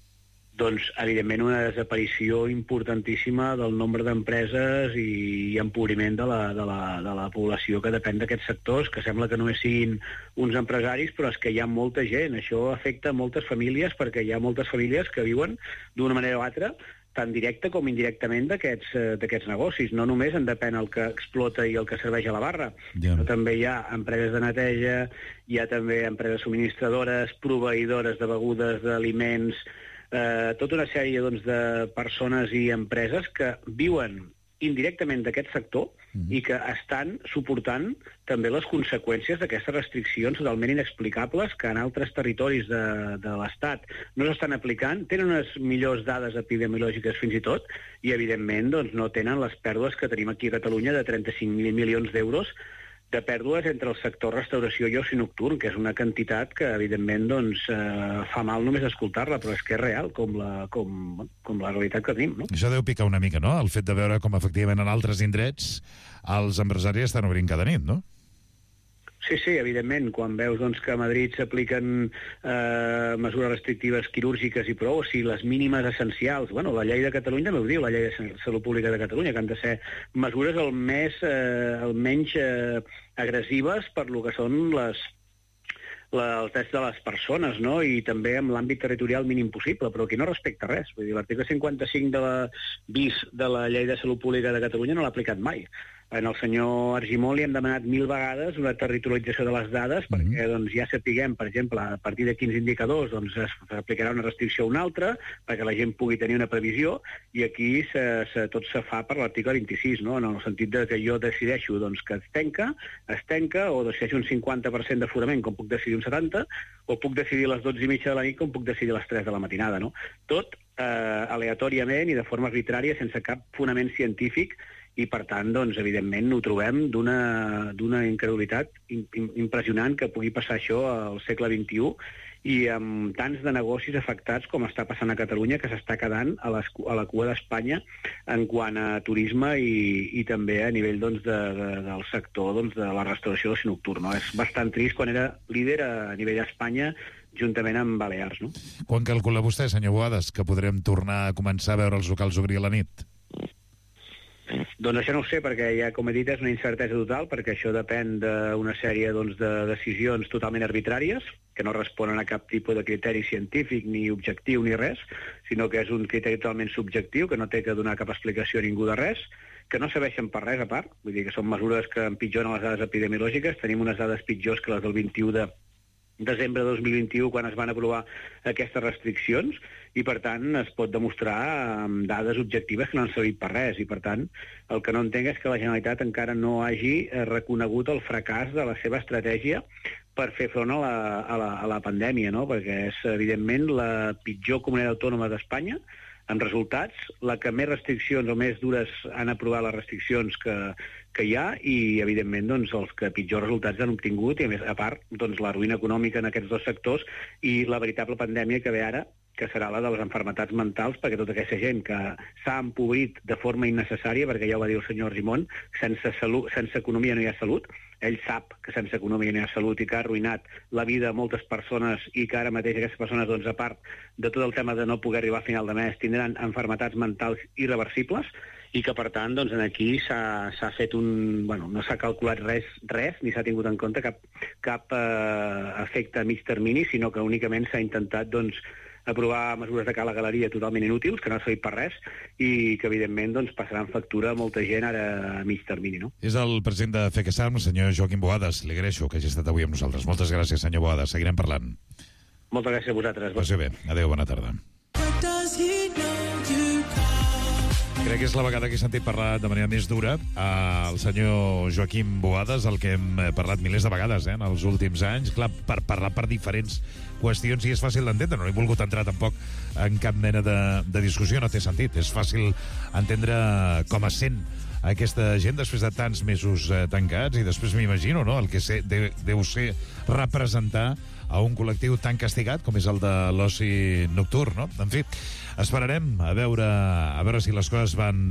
M: Doncs, evidentment, una desaparició importantíssima del nombre d'empreses i empobriment de la població que depèn d'aquests sectors, que sembla que només siguin uns empresaris, però és que hi ha molta gent. Això afecta moltes famílies, perquè hi ha moltes famílies que viuen d'una manera o altra, tant directa com indirectament d'aquests negocis. No només en depèn el que explota i el que serveix a la barra, però també hi ha empreses de neteja, hi ha també empreses subministradores, proveïdores de begudes, d'aliments, tota una sèrie de persones i empreses que viuen indirectament d'aquest sector i que estan suportant també les conseqüències d'aquestes restriccions totalment inexplicables que en altres territoris de l'Estat no s'estan aplicant, tenen unes millors dades epidemiològiques fins i tot i, evidentment, no tenen les pèrdues que tenim aquí a Catalunya de 35.000 milions d'euros de pèrdues entre el sector restauració i oci nocturn, que és una quantitat que, evidentment, fa mal només escoltar-la, però és que és real, com la realitat que tenim, no?
A: Això deu picar una mica, no?, el fet de veure com, efectivament, en altres indrets els empresaris estan obrint cada nit, no?
M: Sí, evidentment, quan veus que a Madrid s'apliquen mesures restrictives quirúrgiques i prou, o sigui, les mínimes essencials, la llei de Catalunya també ho diu, la llei de Salut Pública de Catalunya, que han de ser mesures almenys agressives per lo que són els drets de les persones, no? I també amb l'àmbit territorial mínim possible, però aquí no respecta res. Vull dir, l'article 55 de la bis de la llei de Salut Pública de Catalunya no l'ha aplicat mai. En el senyor Argimon li hem demanat 1000 vegades una territorialització de les dades perquè ja sapiguem, per exemple, a partir de quins indicadors s'aplicarà una restricció o una altra, perquè la gent pugui tenir una previsió, i aquí tot se fa per l'article 26, no? En el sentit de que jo decideixo que es tanca, o decideixo un 50% d'aforament, com puc decidir un 70%, o puc decidir a les 12:30 de la nit, com puc decidir a les 3 de la matinada, no? Tot aleatòriament i de forma arbitrària, sense cap fonament científic, i, per tant, evidentment, ho trobem d'una incredulitat impressionant que pugui passar això al segle XXI i amb tants de negocis afectats com està passant a Catalunya, que s'està quedant a la cua d'Espanya en quant a turisme i també a nivell del sector de la restauració d'oci nocturn. És bastant trist quan era líder a nivell d'Espanya juntament amb Balears. No?
A: Quan calcula vostè, senyor Boades, que podrem tornar a començar a veure els locals obrir a la nit?
M: Doncs això no ho sé, perquè ja, com he dit, és una incertesa total, perquè això depèn d'una sèrie de decisions totalment arbitràries, que no responen a cap tipus de criteri científic, ni objectiu, ni res, sinó que és un criteri totalment subjectiu, que no té que donar cap explicació a ningú de res, que no serveixen per res a part, vull dir que són mesures que empitjoren les dades epidemiològiques, tenim unes dades pitjors que les del 21 de desembre de 2021, quan es van aprovar aquestes restriccions, i, per tant, es pot demostrar amb dades objectives que no han servit per res. I, per tant, el que no entenc és que la Generalitat encara no hagi reconegut el fracàs de la seva estratègia per fer front a la pandèmia, no? Perquè és, evidentment, la pitjor comunitat autònoma d'Espanya en resultats, la que més restriccions o més dures han aprovat les restriccions que hi ha i, evidentment, doncs, els que pitjors resultats han obtingut i, a més, a part, doncs, la ruïna econòmica en aquests dos sectors i la veritable pandèmia que ve ara, que serà la de les malalties mentals, perquè tota aquesta gent que s'ha empobrit de forma innecessària, perquè ja ho va dir el senyor Argimon, sense economia no hi ha salut. Ell sap que sense economia no hi ha salut i que ha arruïnat la vida de moltes persones i que ara mateix aquestes persones, doncs, a part de tot el tema de no poder arribar a final de mes, tindran malalties mentals irreversibles i que, per tant, doncs, aquí s'ha fet no s'ha calculat res, ni s'ha tingut en compte cap efecte a mig termini, sinó que únicament s'ha intentat, doncs, aprovar mesures de cala galeria totalment inútils, que no ha servit per res, i que, evidentment, doncs, passaran factura a molta gent ara a mig termini, no?
A: És el president de FECASAM, el senyor Joaquim Boades. Li agraeixo que hagi estat avui amb nosaltres. Moltes gràcies, senyor Boades. Seguirem parlant.
M: Moltes gràcies a vosaltres.
A: Passi bé. Adéu, bona tarda. Crec que és la vegada que he sentit parlar de manera més dura el senyor Joaquim Boades, el que hem parlat milers de vegades en els últims anys, clar, per parlar per diferents qüestions, i és fàcil d'entendre. No he volgut entrar tampoc en cap mena de discussió, no té sentit. És fàcil entendre com es sent aquesta gent després de tants mesos tancats, i després m'imagino, no?, el que deu ser representar a un col·lectiu tan castigat com és el de l'oci nocturn, no? En fi, esperarem a veure si les coses van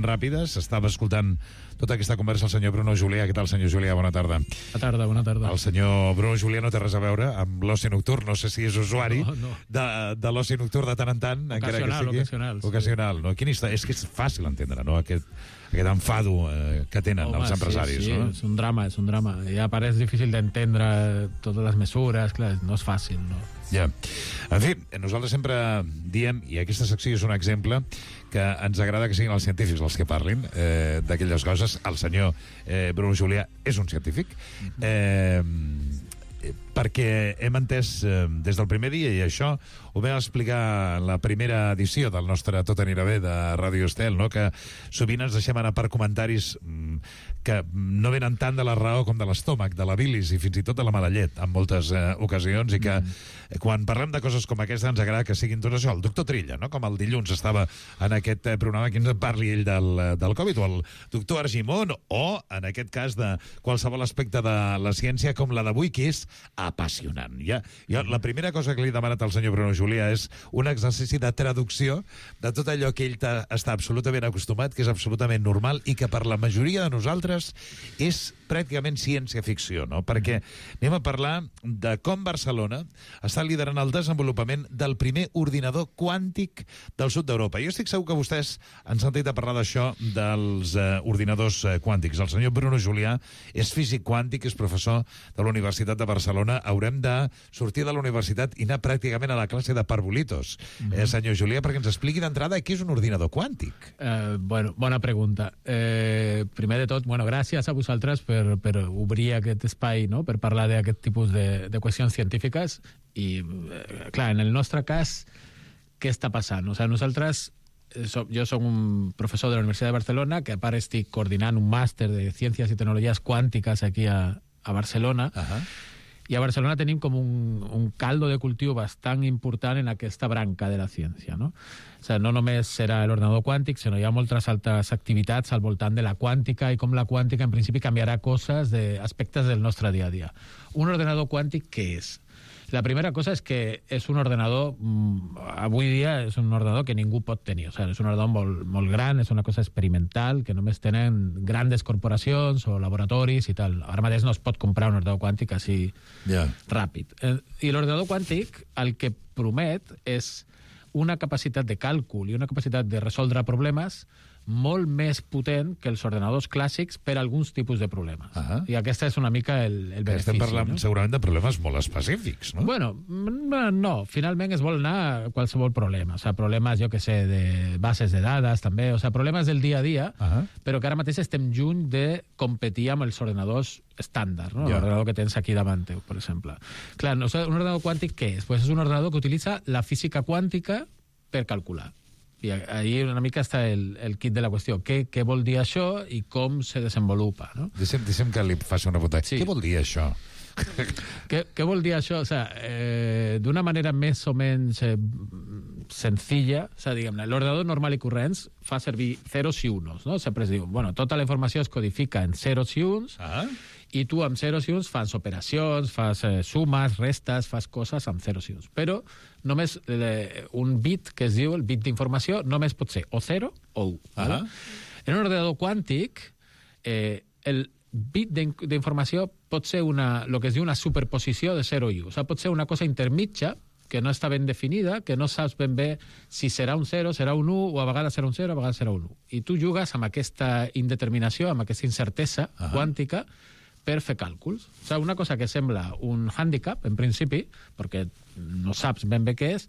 A: ràpides. Estava escoltant tota aquesta conversa el senyor Bruno Julià. Què tal, senyor Julià? Bona tarda.
N: Bona tarda.
A: El senyor Bruno Julià no té res a veure amb l'oci nocturn. No sé si és usuari de l'oci nocturn de tant en tant. Ocasional. No? Quina història? És que és fàcil entendre, no?, aquest enfado que tenen els empresaris.
N: Sí,
A: no?
N: És un drama. Ja pareix difícil d'entendre totes les mesures, clar, no és fàcil, no?
A: Ja. En fi, nosaltres sempre diem, i aquesta secció és un exemple, que ens agrada que siguin els científics els que parlin d'aquelles coses. El senyor Bruno Julià és un científic, perquè hem entès des del primer dia, i això ho vam explicar en la primera edició del nostre Tot anirà bé de Ràdio Estel, no?, que sovint ens deixem anar per comentaris que no venen tant de la raó com de l'estómac, de la bilis i fins i tot de la mala llet en moltes ocasions, i que quan parlem de coses com aquesta ens agrada que siguin tot això. El doctor Trilla, no?, com el dilluns estava en aquest programa, que ens parli ell del Covid, o el doctor Argimon, o en aquest cas de qualsevol aspecte de la ciència com la d'avui, que és apassionant. Jo la primera cosa que li he demanat al senyor Bruno Julià és un exercici de traducció de tot allò que ell està absolutament acostumat, que és absolutament normal i que per la majoria de nosaltres és pràcticament ciència-ficció, no? Perquè anem a parlar de com Barcelona està liderant el desenvolupament del primer ordinador quàntic del sud d'Europa. Jo estic segur que vostès han sentit a parlar d'això, dels ordinadors quàntics. El senyor Bruno Julià és físic quàntic, és professor de la Universitat de Barcelona. Haurem de sortir de la universitat i anar pràcticament a la classe de parvulitos. Senyor Julià, perquè ens expliqui d'entrada què és un ordinador quàntic.
N: Bona pregunta. Primer de tot, gràcies a vosaltres per obrir aquest espai, no?, per parlar d'aquest tipus de qüestions científiques. I, clar, en el nostre cas, què està passant? O sigui, nosaltres, jo soc un professor de la Universitat de Barcelona, que a part estic coordinant un màster de Ciències i Tecnologies Quàntiques aquí a Barcelona, i a Barcelona tenim com un caldo de cultiu bastant important en aquesta branca de la ciència, no? O sigui, no només serà l'ordinador quàntic, sinó hi ha moltes altres activitats al voltant de la quàntica, i com la quàntica en principi canviarà coses d'aspectes del nostre dia a dia. Un ordenador quàntic, què és? La primera cosa és que és un ordenador, avui dia és un ordenador que ningú pot tenir. O sigui, és un ordenador molt gran, és una cosa experimental, que només tenen grandes corporacions o laboratoris i tal. Ara mateix no es pot comprar un ordenador quàntic així ràpid. I l'ordenador quàntic el que promet és una capacitat de càlcul i una capacitat de resoldre problemes molt més potent que els ordenadors clàssics per a alguns tipus de problemes. I aquesta és una mica el benefici.
A: Estem parlant segurament de problemes molt específics, no?
N: Bueno, no. Finalment es vol anar a qualsevol problema. O sigui, problemes, jo que sé, de bases de dades, també. O sigui, problemes del dia a dia, però que ara mateix estem lluny de competir amb els ordenadors estàndard, no? L'ordenador que tens aquí davant teu, per exemple. Clar, un ordenador quàntic què és? Pues és un ordenador que utilitza la física quàntica per calcular. I ahí una mica està el kit de la qüestió. Què vol dir això i com se desenvolupa, no?
A: Deixem que li faci una pregunta. Què vol dir això?
N: Què vol dir això? O sigui, d'una manera més o menys senzilla, o sigui, diguem-ne, l'ordenador normal i corrents fa servir zeros i unos, no? Sempre es diu, bueno, tota la informació es codifica en zeros i uns, i tu amb zeros i uns fas operacions, fas sumes, restes, fas coses amb zeros i uns. Però només un bit, que es diu el bit d'informació, només pot ser o 0 o 1. En un ordenador quàntic, el bit d'informació pot ser el que es diu una superposició de 0 i 1. O sigui, pot ser una cosa intermitja, que no està ben definida, que no saps ben bé si serà un 0, serà un 1, o a vegades serà un 0, a vegades serà un 1. I tu jugues amb aquesta indeterminació, amb aquesta incertesa quàntica, per fer càlculs. O sigui, una cosa que sembla un hàndicap, en principi, perquè no saps ben bé què és,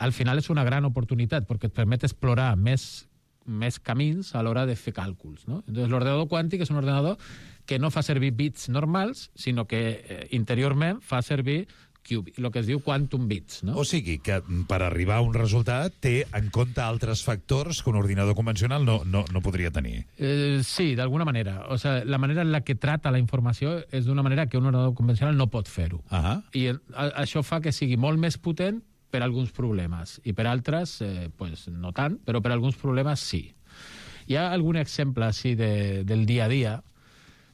N: al final és una gran oportunitat, perquè et permet explorar més camins a l'hora de fer càlculs, no? Entonces, l'ordenador quàntic és un ordenador que no fa servir bits normals, sinó que interiorment fa servir el que es diu quantum bits, no?
A: O sigui, que per arribar a un resultat té en compte altres factors que un ordinador convencional no podria tenir.
N: Sí, d'alguna manera. O sigui, la manera en la que trata la informació és d'una manera que un ordenador convencional no pot fer-ho. I això fa que sigui molt més potent per alguns problemes, i per altres, pues, no tant, però per alguns problemes sí. Hi ha algun exemple així del dia a dia,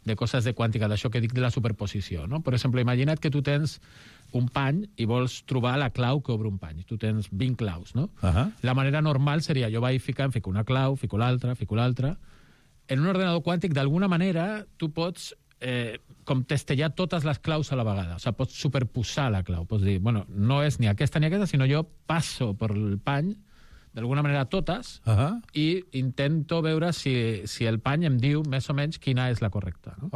N: de coses de quàntica, d'això que dic de la superposició, no? Per exemple, imagina't que tu tens un pany i vols trobar la clau que obre un pany. Tu tens 20 claus, no? La manera normal seria, jo vaig fico una clau, fico l'altra. En un ordenador quàntic, d'alguna manera, tu pots com testellar totes les claus a la vegada. O sigui, pots superposar la clau. Pots dir, bueno, no és ni aquesta, sinó jo passo per el pany, d'alguna manera totes, i intento veure si el pany em diu més o menys quina és la correcta. No?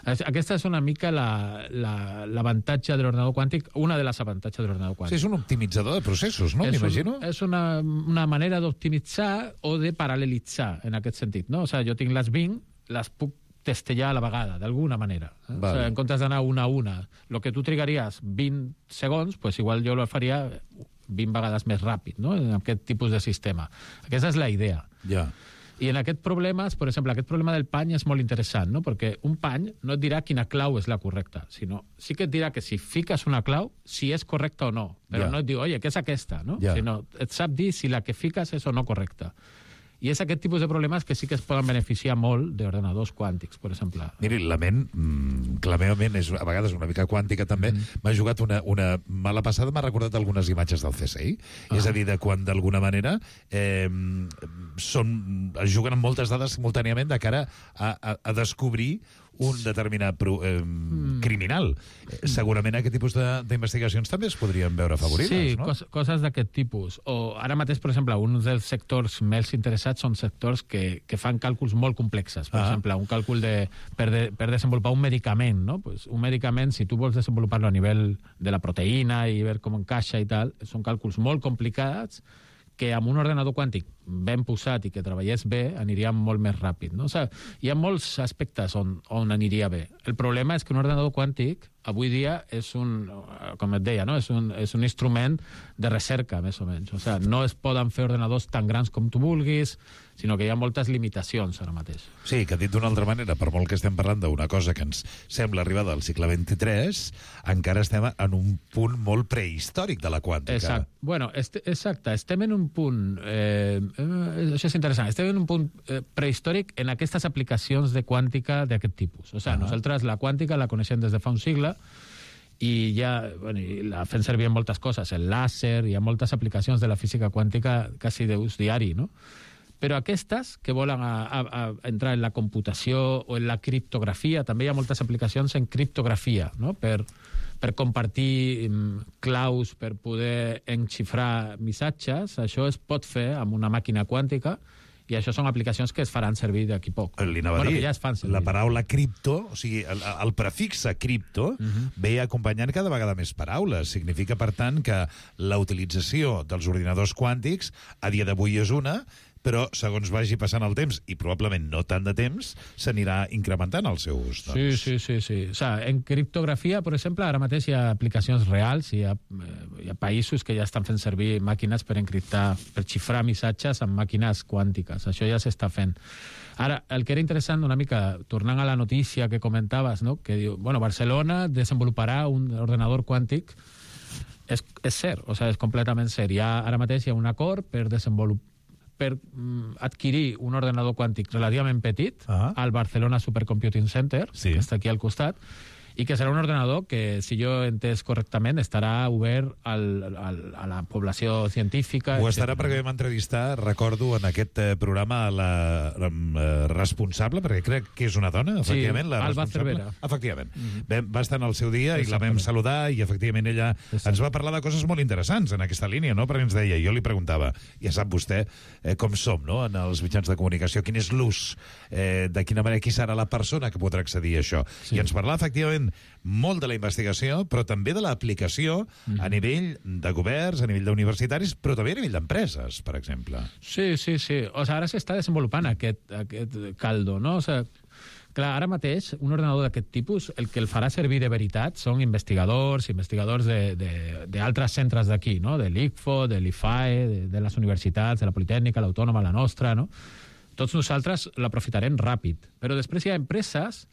N: Aquesta és una mica l'avantatge de l'ordenador quàntic, una de les avantatges de l'ordenador quàntic.
A: Sí, és un optimitzador de processos, no? M'imagino.
N: És una manera d'optimitzar o de paral·lelitzar, en aquest sentit, no? O sigui, jo tinc les 20, les puc testellar a la vegada, d'alguna manera. O sigui, en comptes d'anar una a una, el que tu trigaries 20 segons, pues igual jo lo faria 20 vegades més ràpid, no? En aquest tipus de sistema. Aquesta és la idea. I en aquest problema, per exemple, aquest problema del pany és molt interessant, no? Perquè un pany no et dirà quina clau és la correcta, sinó sí que et dirà que si fiques una clau, si és correcta o no. Però no et diu, oye, què és aquesta? No? Sinó et sap dir si la que fiques és o no correcta. I és aquest tipus de problemes que sí que es poden beneficiar molt d'ordenadors quàntics, per exemple.
A: Miri, la ment, que la meva ment és a vegades una mica quàntica també, m'ha jugat una mala passada, m'ha recordat algunes imatges del CSI. És a dir, de quan d'alguna manera es juguen amb moltes dades simultàniament de cara a descobrir un determinat criminal. Segurament aquest tipus d'investigacions també es podrien veure afavorides, no?
N: Sí, coses d'aquest tipus. O ara mateix, per exemple, un dels sectors més interessats són sectors que fan càlculs molt complexes. Per exemple, un càlcul per desenvolupar un medicament, no? Pues un medicament, si tu vols desenvolupar-lo a nivell de la proteïna i veure com encaixa i tal, són càlculs molt complicats que amb un ordenador quàntic ben posat i que treballés bé, aniria molt més ràpid. No? O sigui, hi ha molts aspectes on aniria bé. El problema és que un ordenador quàntic avui dia és com et deia, no? és un instrument de recerca, més o menys. O sigui, no es poden fer ordenadors tan grans com tu vulguis, sinó que hi ha moltes limitacions ara mateix.
A: Sí, que dit d'una altra manera, per molt que estem parlant d'una cosa que ens sembla arribada al segle XXIII, encara estem en un punt molt prehistòric de la quàntica.
N: Exacte. Bueno, exacte. Estem en un punt... això és interessant. Estem en un punt prehistòric en aquestes aplicacions de quàntica d'aquest tipus. O sigui, nosaltres la quàntica la coneixem des de fa un segle i ja la fem servir en moltes coses. El làser, hi ha moltes aplicacions de la física quàntica quasi d'ús diari, no? Però aquestes que volen entrar en la computació o en la criptografia, també hi ha moltes aplicacions en criptografia, no? Per compartir claus, per poder enxifrar missatges. Això es pot fer amb una màquina quàntica i això són aplicacions que es faran servir d'aquí poc.
A: Li anava a dir, ja es fan servir. La paraula cripto, o sigui, el prefixe cripto, ve acompanyant cada vegada més paraules. Significa, per tant, que la utilització dels ordinadors quàntics a dia d'avui és una, però segons vagi passant el temps, i probablement no tant de temps, s'anirà incrementant el seu ús. Doncs.
N: Sí. O sigui, en criptografia, per exemple, ara mateix hi ha aplicacions reals, hi ha països que ja estan fent servir màquines per encriptar, per xifrar missatges amb màquines quàntiques. Això ja s'està fent. Ara, el que era interessant una mica, tornant a la notícia que comentaves, no? Que diu, Barcelona desenvoluparà un ordenador quàntic és cert, o sigui, és completament cert. Ara mateix hi ha un acord per adquirir un ordenador quàntic relativament petit al Barcelona Supercomputing Center, que està aquí al costat, i que serà un ordenador que, si jo he entès correctament, estarà obert a la població científica.
A: Ho estarà perquè vam entrevistar, recordo, en aquest programa la responsable, perquè crec que és una dona, efectivament, la
N: Alba
A: responsable.
N: Cervera.
A: Efectivament. Va estar en el seu dia i la vam saludar i, efectivament, ella ens va parlar de coses molt interessants en aquesta línia, no? Perquè ens deia, jo li preguntava, ja sap vostè com som, no?, en els mitjans de comunicació, quin és l'ús, de quina manera, qui serà la persona que podrà accedir a això. I ens parlava, efectivament, molt de la investigació, però també de l'aplicació a nivell de governs, a nivell d'universitaris, però també a nivell d'empreses, per exemple.
N: Sí. O sigui, ara s'està desenvolupant aquest caldo, no? O sigui, clar, ara mateix, un ordenador d'aquest tipus, el que el farà servir de veritat són investigadors d'altres centres d'aquí, no? De l'ICFO, de l'IFAE, de les universitats, de la Politècnica, l'Autònoma, la nostra, no? Tots nosaltres l'aprofitarem ràpid. Però després hi ha empreses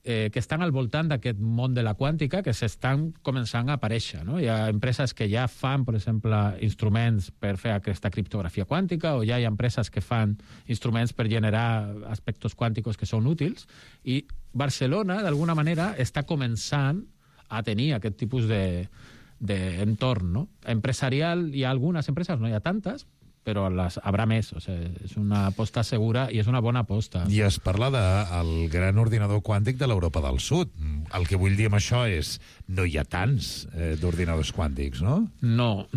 N: que estan al voltant d'aquest món de la quàntica que s'estan començant a aparèixer, no? Hi ha empreses que ja fan, per exemple, instruments per fer aquesta criptografia quàntica, o ja hi ha empreses que fan instruments per generar aspectes quànticos que són útils, i Barcelona, d'alguna manera, està començant a tenir aquest tipus d'entorn, no? Empresarial, hi ha algunes empreses, no hi ha tantes, però haurà més. O sigui, és una aposta segura i és una bona aposta.
A: I es parla del gran ordinador quàntic de l'Europa del Sud. El que vull dir amb això és no hi ha tants d'ordinadors quàntics, no? No.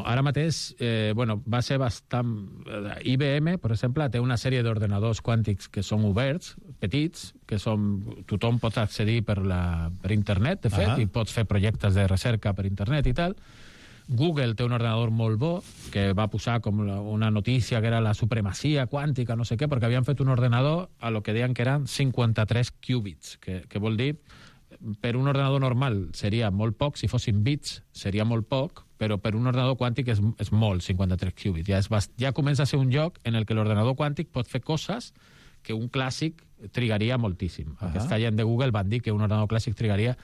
N: Ara mateix, va ser bastant... IBM, per exemple, té una sèrie d'ordinadors quàntics que són oberts, petits, que tothom pot accedir per internet, de fet, i pots fer projectes de recerca per internet i tal. Google té un ordenador molt bo, que va posar com una notícia que era la supremacia quàntica, no sé què, perquè havien fet un ordenador a lo que deien que eren 53 qubits, que vol dir, per un ordenador normal seria molt poc, si fossin bits seria molt poc, però per un ordenador quàntic és molt, 53 qubits. Ja comença a ser un lloc en el que l'ordenador quàntic pot fer coses que un clàssic trigaria moltíssim. Aquesta gent de Google van dir que un ordenador clàssic trigaria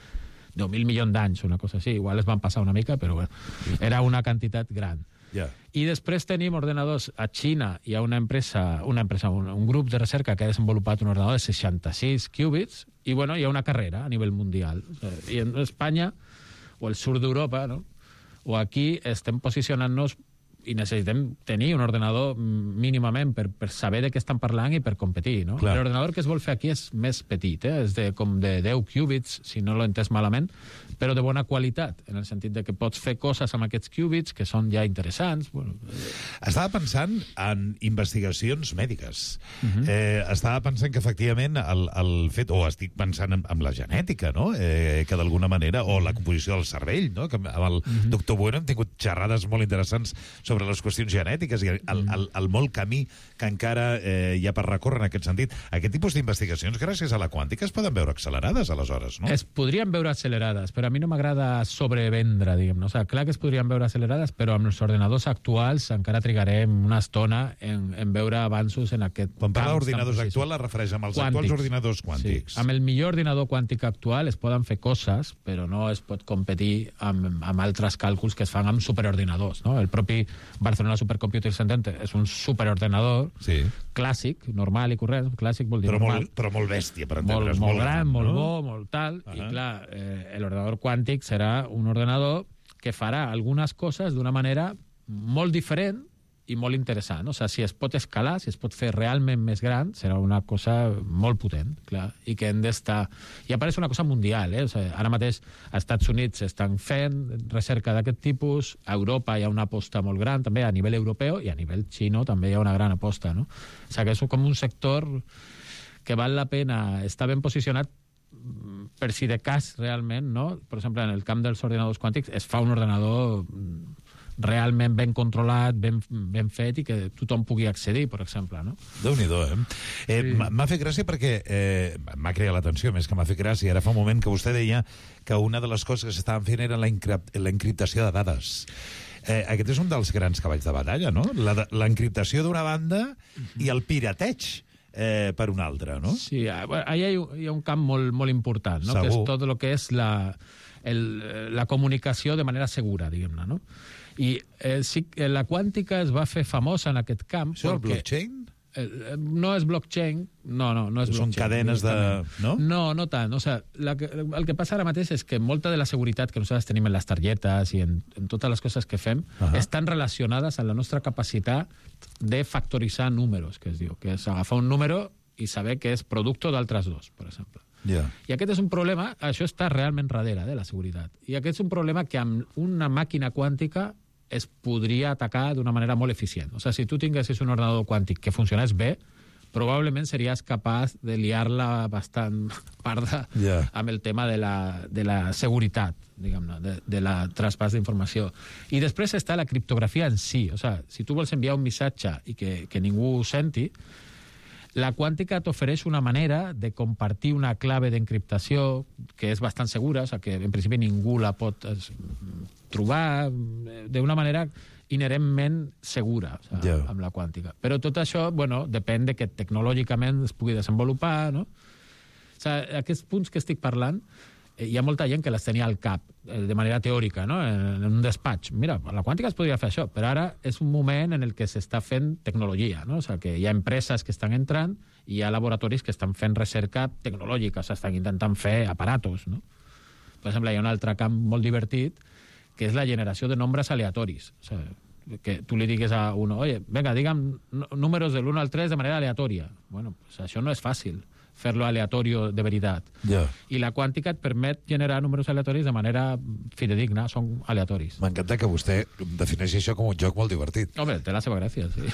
N: 10.000 milions d'anys, una cosa així. Igual es van passar una mica, però era una quantitat gran. I després tenim ordenadors a Xina. Hi ha un grup de recerca que ha desenvolupat un ordenador de 66 qubits i hi ha una carrera a nivell mundial. I en Espanya, o el sud d'Europa, no? O aquí estem posicionant-nos i necessitem tenir un ordenador mínimament per saber de què estan parlant i per competir, no? L'ordenador que es vol fer aquí és més petit, és com de 10 qubits, si no l'he entès malament, però de bona qualitat, en el sentit de que pots fer coses amb aquests qubits que són ja interessants.
A: Estava pensant en investigacions mèdiques. Estava pensant que, efectivament, el fet, o estic pensant en la genètica, no? Que d'alguna manera, o la composició del cervell, no? Que amb el doctor Bueno hem tingut xerrades molt interessants sobre les qüestions genètiques i el molt camí que encara hi ha per recórrer en aquest sentit. Aquest tipus d'investigacions, gràcies a la quàntica, es poden veure accelerades, aleshores, no?
N: Es podrien veure accelerades, però a mi no m'agrada sobrevendre, diguem-ne. O sigui, clar que es podrien veure accelerades, però amb els ordenadors actuals encara trigarem una estona en veure avanços en aquest camp.
A: Quan parla d'ordinadors actuals, es refereix amb els actuals ordinadors quàntics.
N: Sí. Amb el millor ordinador quàntic actual es poden fer coses, però no es pot competir amb altres càlculs que es fan amb superordinadors, no? El propi Barcelona Supercomputing Center és un superordenador clàssic, normal i correcte. Clàssic vol dir normal.
A: Però molt bèstia, per entendre's.
N: Molt gran, molt bo, molt tal. I clar, l'ordenador quàntic serà un ordenador que farà algunes coses d'una manera molt diferent i molt interessant. O sigui, si es pot escalar, si es pot fer realment més gran, serà una cosa molt potent, clar, i que hem d'estar... I apareix una cosa mundial, O sigui, ara mateix als Estats Units estan fent recerca d'aquest tipus, a Europa hi ha una aposta molt gran, també a nivell europeu, i a nivell xino també hi ha una gran aposta, no? O sigui, que és com un sector que val la pena estar ben posicionat per si de cas realment, no? Per exemple, en el camp dels ordinadors quàntics es fa un ordenador realment ben controlat, ben fet i que tothom pugui accedir, per exemple, no?
A: Déu-n'hi-do, M'ha fet gràcia perquè m'ha creat l'atenció, més que m'ha fet gràcia. Ara fa un moment que vostè deia que una de les coses que s'estaven fent era la encriptació de dades. Aquest és un dels grans cavalls de batalla, no? L'encriptació d'una banda i el pirateig per un altre, no?
N: Sí, allà hi ha un camp molt important, no? Que és tot el que és la comunicació de manera segura, diguem-ne, no? I sí, la quàntica es va fer famosa en aquest camp.
A: Això és el blockchain?
N: No és blockchain, no és blockchain.
A: Són cadenes de... No?
N: No tant. O sea, el que passa ara mateix és que molta de la seguretat que nosaltres tenim en les targetes i en totes les coses que fem estan relacionades amb la nostra capacitat de factoritzar números, que es diu, que és agafar un número i saber que és producte d'altres dos, per exemple. I aquest és un problema, això està realment darrere de la seguretat, i aquest és un problema que amb una màquina quàntica es podria atacar d'una manera molt eficient. O sigui, si tu tinguessis un ordenador quàntic que funcionés bé, probablement series capaç de liar-la bastant parda amb el tema de la seguretat, diguem-ne, de la traspàs d'informació. I després està la criptografia en si. O sigui, si tu vols enviar un missatge i que ningú ho senti, la quàntica t'ofereix una manera de compartir una clave d'encriptació que és bastant segura, o sigui, que en principi ningú la pot trobar d'una manera inherentment segura, o sigui, amb la quàntica. Però tot això, bueno, depèn de que tecnològicament es pugui desenvolupar, no? O sigui, aquests punts que estic parlant, hi ha molta gent que les tenia al cap, de manera teòrica, no? En un despatx. Mira, la quàntica es podria fer això, però ara és un moment en el que s'està fent tecnologia, no? O sigui, que hi ha empreses que estan entrant i hi ha laboratoris que estan fent recerca tecnològica, o sigui, estan intentant fer aparatos, no? Per exemple, hi ha un altre camp molt divertit, que és la generació de nombres aleatoris. O sigui, que tu li digues a uno, oye, venga, digue'm números del 1 al 3 de manera aleatòria. Bueno, pues això no és fàcil, fer-lo aleatorio de veritat. I la quàntica et permet generar números aleatoris de manera fidedigna, són aleatoris.
A: M'encanta que vostè defineixi això com un joc molt divertit.
N: Home, té la seva gràcia, sí.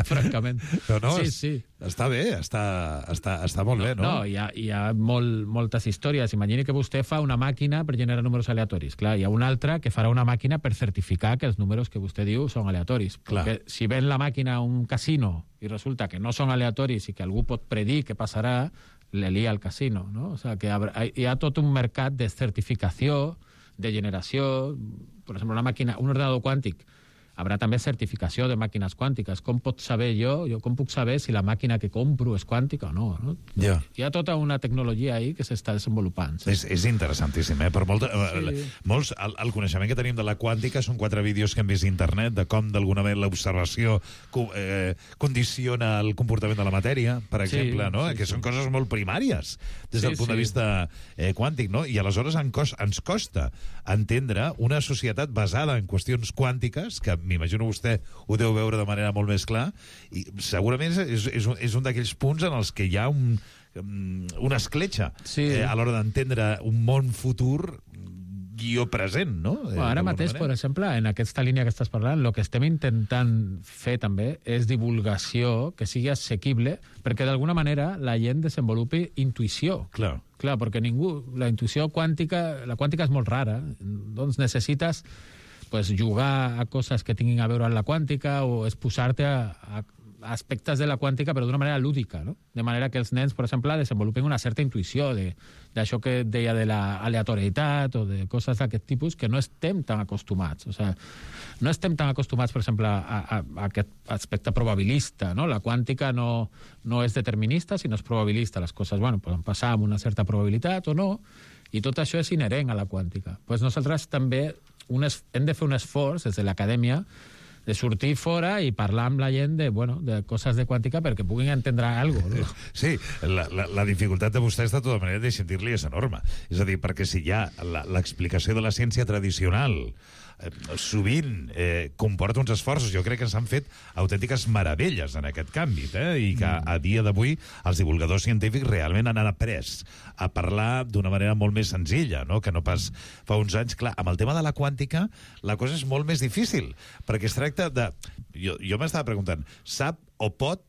N: Francament.
A: No,
N: sí.
A: Està bé, està molt bé, no?
N: No, hi ha moltes històries. Imagini que vostè fa una màquina per generar números aleatoris. Clar, hi ha una altra que farà una màquina per certificar que els números que vostè diu són aleatoris. Perquè si ven la màquina a un casino i resulta que no són aleatoris i que algú pot predir què passarà, le lia al casino, no? O sigui, que hi ha tot un mercat de certificació, de generació. Per exemple, un ordenador quàntic haurà també certificació de màquines quàntiques. Com pot saber com puc saber si la màquina que compro és quàntica o no? Hi ha tota una tecnologia ahí que s'està desenvolupant.
A: És interessantíssim, Per molts, el coneixement que tenim de la quàntica són 4 vídeos que hem vist a internet de com, d'alguna manera, l'observació condiciona el comportament de la matèria, per exemple, no? Que són coses molt primàries des del punt de vista quàntic, no? I aleshores ens costa entendre una societat basada en qüestions quàntiques, que m'imagino vostè ho deu veure de manera molt més clar, i segurament és un d'aquells punts en els que hi ha una escletxa a l'hora d'entendre un món futur guió present, no?
N: Ara mateix, per exemple, en aquesta línia que estàs parlant, el que estem intentant fer també és divulgació que sigui assequible perquè d'alguna manera la gent desenvolupi intuïció.
A: Clar,
N: perquè la intuïció quàntica, la quàntica és molt rara, doncs necessites jugar a coses que tinguin a veure amb la quàntica o exposar-te a aspectes de la quàntica però d'una manera lúdica, no? De manera que els nens, per exemple, desenvolupen una certa intuïció d'això que deia de l'aleatorietat o de coses d'aquest tipus que no estem tan acostumats. O sigui, no estem tan acostumats, per exemple, a aquest aspecte probabilista, no? La quàntica no és determinista, sinó és probabilista. Les coses, poden passar amb una certa probabilitat o no, i tot això és inherent a la quàntica. Pues nosaltres també hem de fer un esforç des de l'acadèmia de sortir fora i parlar amb la gent de coses de quàntica perquè puguin entendre alguna cosa. No?
A: Sí, la dificultat de vostès, de tota manera, de sentir-li és enorme. És a dir, perquè si hi ha l'explicació de la ciència tradicional sovint comporta uns esforços. Jo crec que s'han fet autèntiques meravelles en aquest canvi, i que a dia d'avui els divulgadors científics realment han après a parlar d'una manera molt més senzilla, no? Que no pas fa uns anys. Clar, amb el tema de la quàntica la cosa és molt més difícil, perquè es tracta de... Jo m'estava preguntant, sap o pot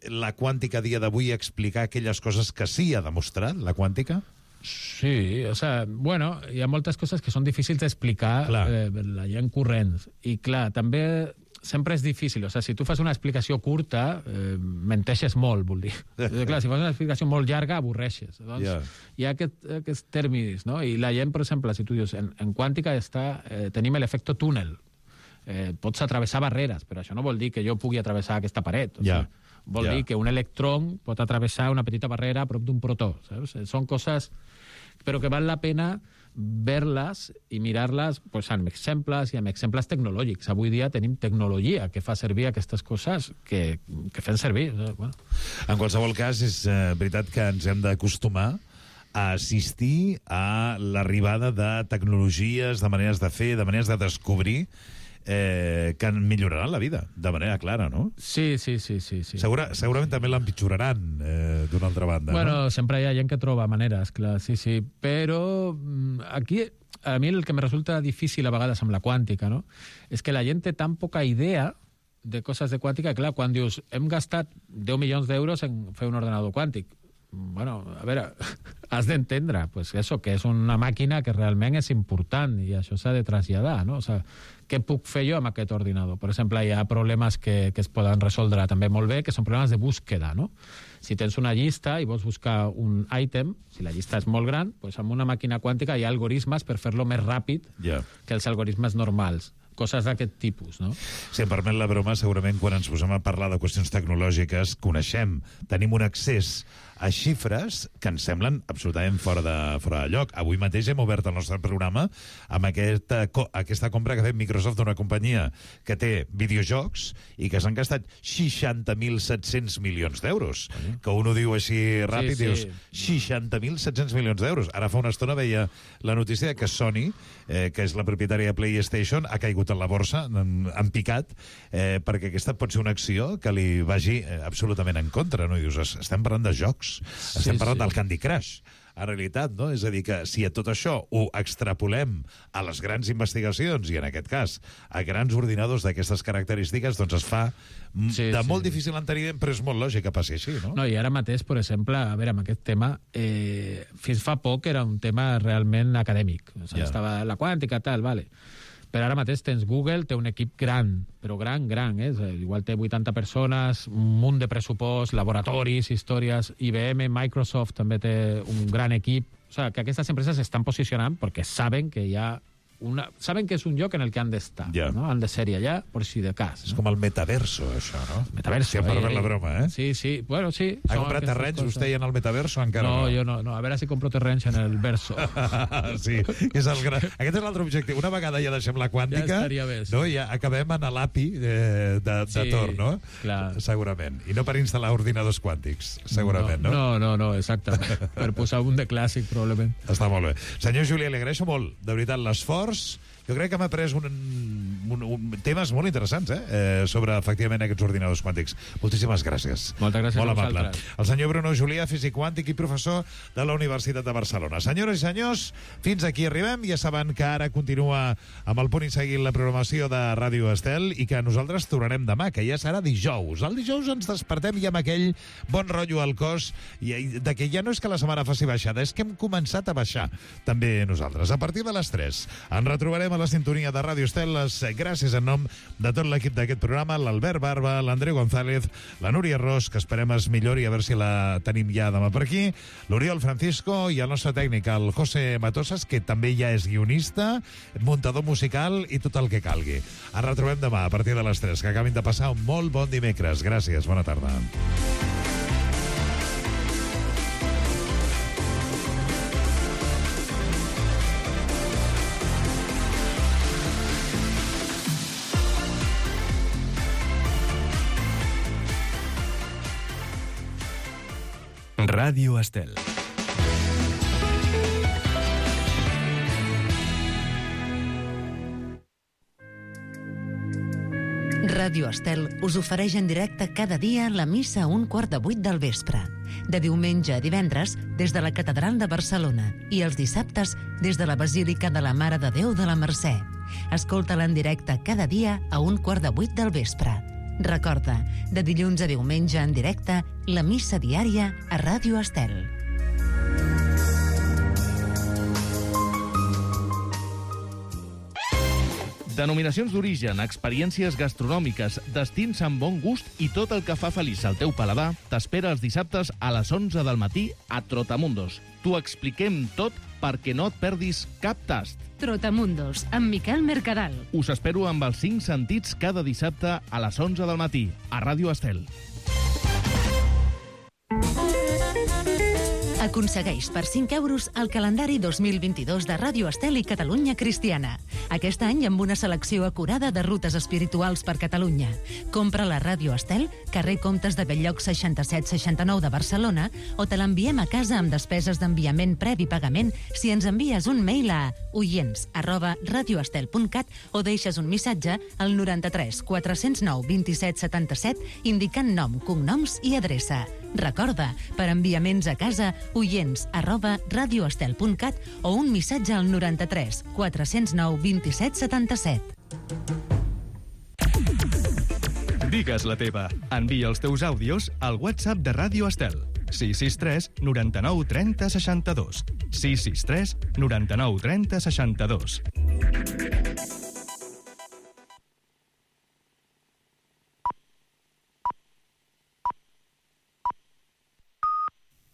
A: la quàntica a dia d'avui explicar aquelles coses que sí ha demostrat, la quàntica?
N: Sí, o sea, hi ha moltes coses que són difícils d'explicar la gent corrents. I clar, també sempre és difícil. O sigui, si tu fas una explicació curta, menteixes molt, vull dir. Clar, si fas una explicació molt llarga, avorreixes. Doncs hi ha aquests tèrmins, no? I la gent, per exemple, si tu dius, en quàntica tenim l'efecte túnel. Pots atravessar barreres, però això no vol dir que jo pugui atravessar aquesta paret. Vol dir que un electrón pot atravessar una petita barrera a prop d'un protó, saps? Són coses, però que val la pena ver-les i mirar-les pues, amb exemples i amb exemples tecnològics. Avui dia tenim tecnologia que fa servir aquestes coses que fem servir. Bueno.
A: En qualsevol cas, és veritat que ens hem d'acostumar a assistir a l'arribada de tecnologies, de maneres de fer, de maneres de descobrir que milloraran la vida, de manera clara, no?
N: Sí.
A: Segurament també l'empitjoraran, d'una altra banda.
N: Bueno,
A: no?
N: Sempre hi ha gent que troba maneres, clar, sí. Però aquí, a mi el que me resulta difícil a vegades amb la quàntica, no? És que la gent té tan poca idea de coses de quàntica, clar, quan dius hem gastat 10 milions d'euros en fer un ordenador quàntic, bueno, a veure, has d'entendre pues eso, que és una màquina que realment és important i això s'ha de traslladar, no? O sigui, què puc fer jo amb aquest ordinador? Per exemple, hi ha problemes que es poden resoldre també molt bé, que són problemes de búsqueda, no? Si tens una llista i vols buscar un ítem, si la llista és molt gran, pues amb una màquina quàntica hi ha algoritmes per fer-lo més ràpid que els algoritmes normals. Coses d'aquest tipus, no?
A: Si em permet la broma, segurament quan ens posem a parlar de qüestions tecnològiques coneixem, tenim un accés a xifres que ens semblen absolutament fora de lloc. Avui mateix hem obert el nostre programa amb aquesta compra que ha fet Microsoft d'una companyia que té videojocs i que s'han gastat 60.700 milions d'euros. Que un ho diu així ràpid, dius 60.700 milions d'euros. Ara fa una estona veia la notícia que Sony, que és la propietària de PlayStation, ha caigut en la borsa, en picat, perquè aquesta pot ser una acció que li vagi absolutament en contra, no? I dius, estem parlant de jocs, estem parlant del Candy Crush, en realitat, no? És a dir, que si a tot això ho extrapolem a les grans investigacions, i en aquest cas a grans ordinadors d'aquestes característiques, doncs es fa molt difícil enteniment, però és molt lògic que passi així, no?
N: No, i ara mateix, per exemple, a veure, amb aquest tema, fins fa poc era un tema realment acadèmic. O sigui, estava la quàntica, tal, vale. Però ara mateix tens Google, té un equip gran, però gran, igual té 80 persones, un munt de pressupost, laboratoris, històries, IBM, Microsoft també té un gran equip. O sigui, que aquestes empreses s'estan posicionant perquè saben que hi ha saben que és un lloc en el que han d'estar, no? Han de ser-hi allà, per si de cas.
A: És com el metaverso, això, no?
N: Metaverso.
A: Si em permet la broma,
N: Sí, bueno, sí.
A: Ha comprat terrenys vostè en el metaverso encara?
N: No, jo no. A veure si compro terrenys en el verso.
A: Sí, és el gran... Aquest és l'altre objectiu. Una vegada ja deixem la quàntica,
N: ja estaria bé,
A: no? Ja acabem en l'API de Tor, no?
N: Clar.
A: Segurament. I no per instal·lar ordinadors quàntics, segurament, no?
N: No, exactament. Per posar un de clàssic, probablement.
A: Està molt bé. Senyor Julià, li agraeixo molt, de veritat, l'esforç. Jo crec que m'ha pres temes molt interessants, sobre, efectivament, aquests ordinadors quàntics. Moltíssimes gràcies.
N: Moltes gràcies
A: molt
N: a vosaltres.
A: El senyor Bruno Julià, físic quàntic i professor de la Universitat de Barcelona. Senyores i senyors, fins aquí arribem. Ja saben que ara continua amb el punt i seguint la programació de Ràdio Estel i que nosaltres tornarem demà, que ja serà dijous. El dijous ens despertem i amb aquell bon rotllo al cos de que ja no és que la setmana faci baixada, és que hem començat a baixar també nosaltres. A partir de les 3 ens retrobarem a la sintonia de Ràdio Estel. Gràcies en nom de tot l'equip d'aquest programa, l'Albert Barba, l'Andreu González, la Núria Ros, que esperem es millori, a veure si la tenim ja demà per aquí, l'Oriol Francisco i el nostre tècnic, el José Matosas, que també ja és guionista, muntador musical i tot el que calgui. Ens retrobem demà a partir de les 3. Que acabin de passar un molt bon dimecres. Gràcies, bona tarda.
L: Ràdio Estel.
I: Ràdio Estel us ofereix en directe cada dia la missa a 7:15 del vespre. De diumenge a divendres des de la Catedral de Barcelona i els dissabtes des de la Basílica de la Mare de Déu de la Mercè. Escolta-la en directe cada dia a 7:15 del vespre. Recorda, de dilluns a diumenge en directe, la missa diària a Ràdio Estel.
B: Denominacions d'origen, experiències gastronòmiques, destins amb bon gust i tot el que fa feliç al teu paladar t'espera els dissabtes a les 11 del matí a Trotamundos. T'ho expliquem tot perquè no et perdis cap tast.
O: Trotamundos, amb Miquel Mercadal.
B: Us espero amb els 5 sentits cada dissabte a les 11 del matí a Ràdio Estel.
I: Aconsegueix per 5 euros el calendari 2022 de Ràdio Estel i Catalunya Cristiana. Aquest any amb una selecció acurada de rutes espirituals per Catalunya. Compra la Ràdio Estel, carrer Comtes de Belllloc 6769 de Barcelona, o te l'enviem a casa amb despeses d'enviament previ pagament si ens envies un mail a oients@radioestel.cat o deixes un missatge al 93 409 27 77 indicant nom, cognoms i adreça. Recorda, per enviaments a casa, oients@radioestel.cat o un missatge al 93 409 27 77.
L: Digues la teva. Envia els teus àudios al WhatsApp de Ràdio Estel. 663 99 30 62. 663 99 30 62.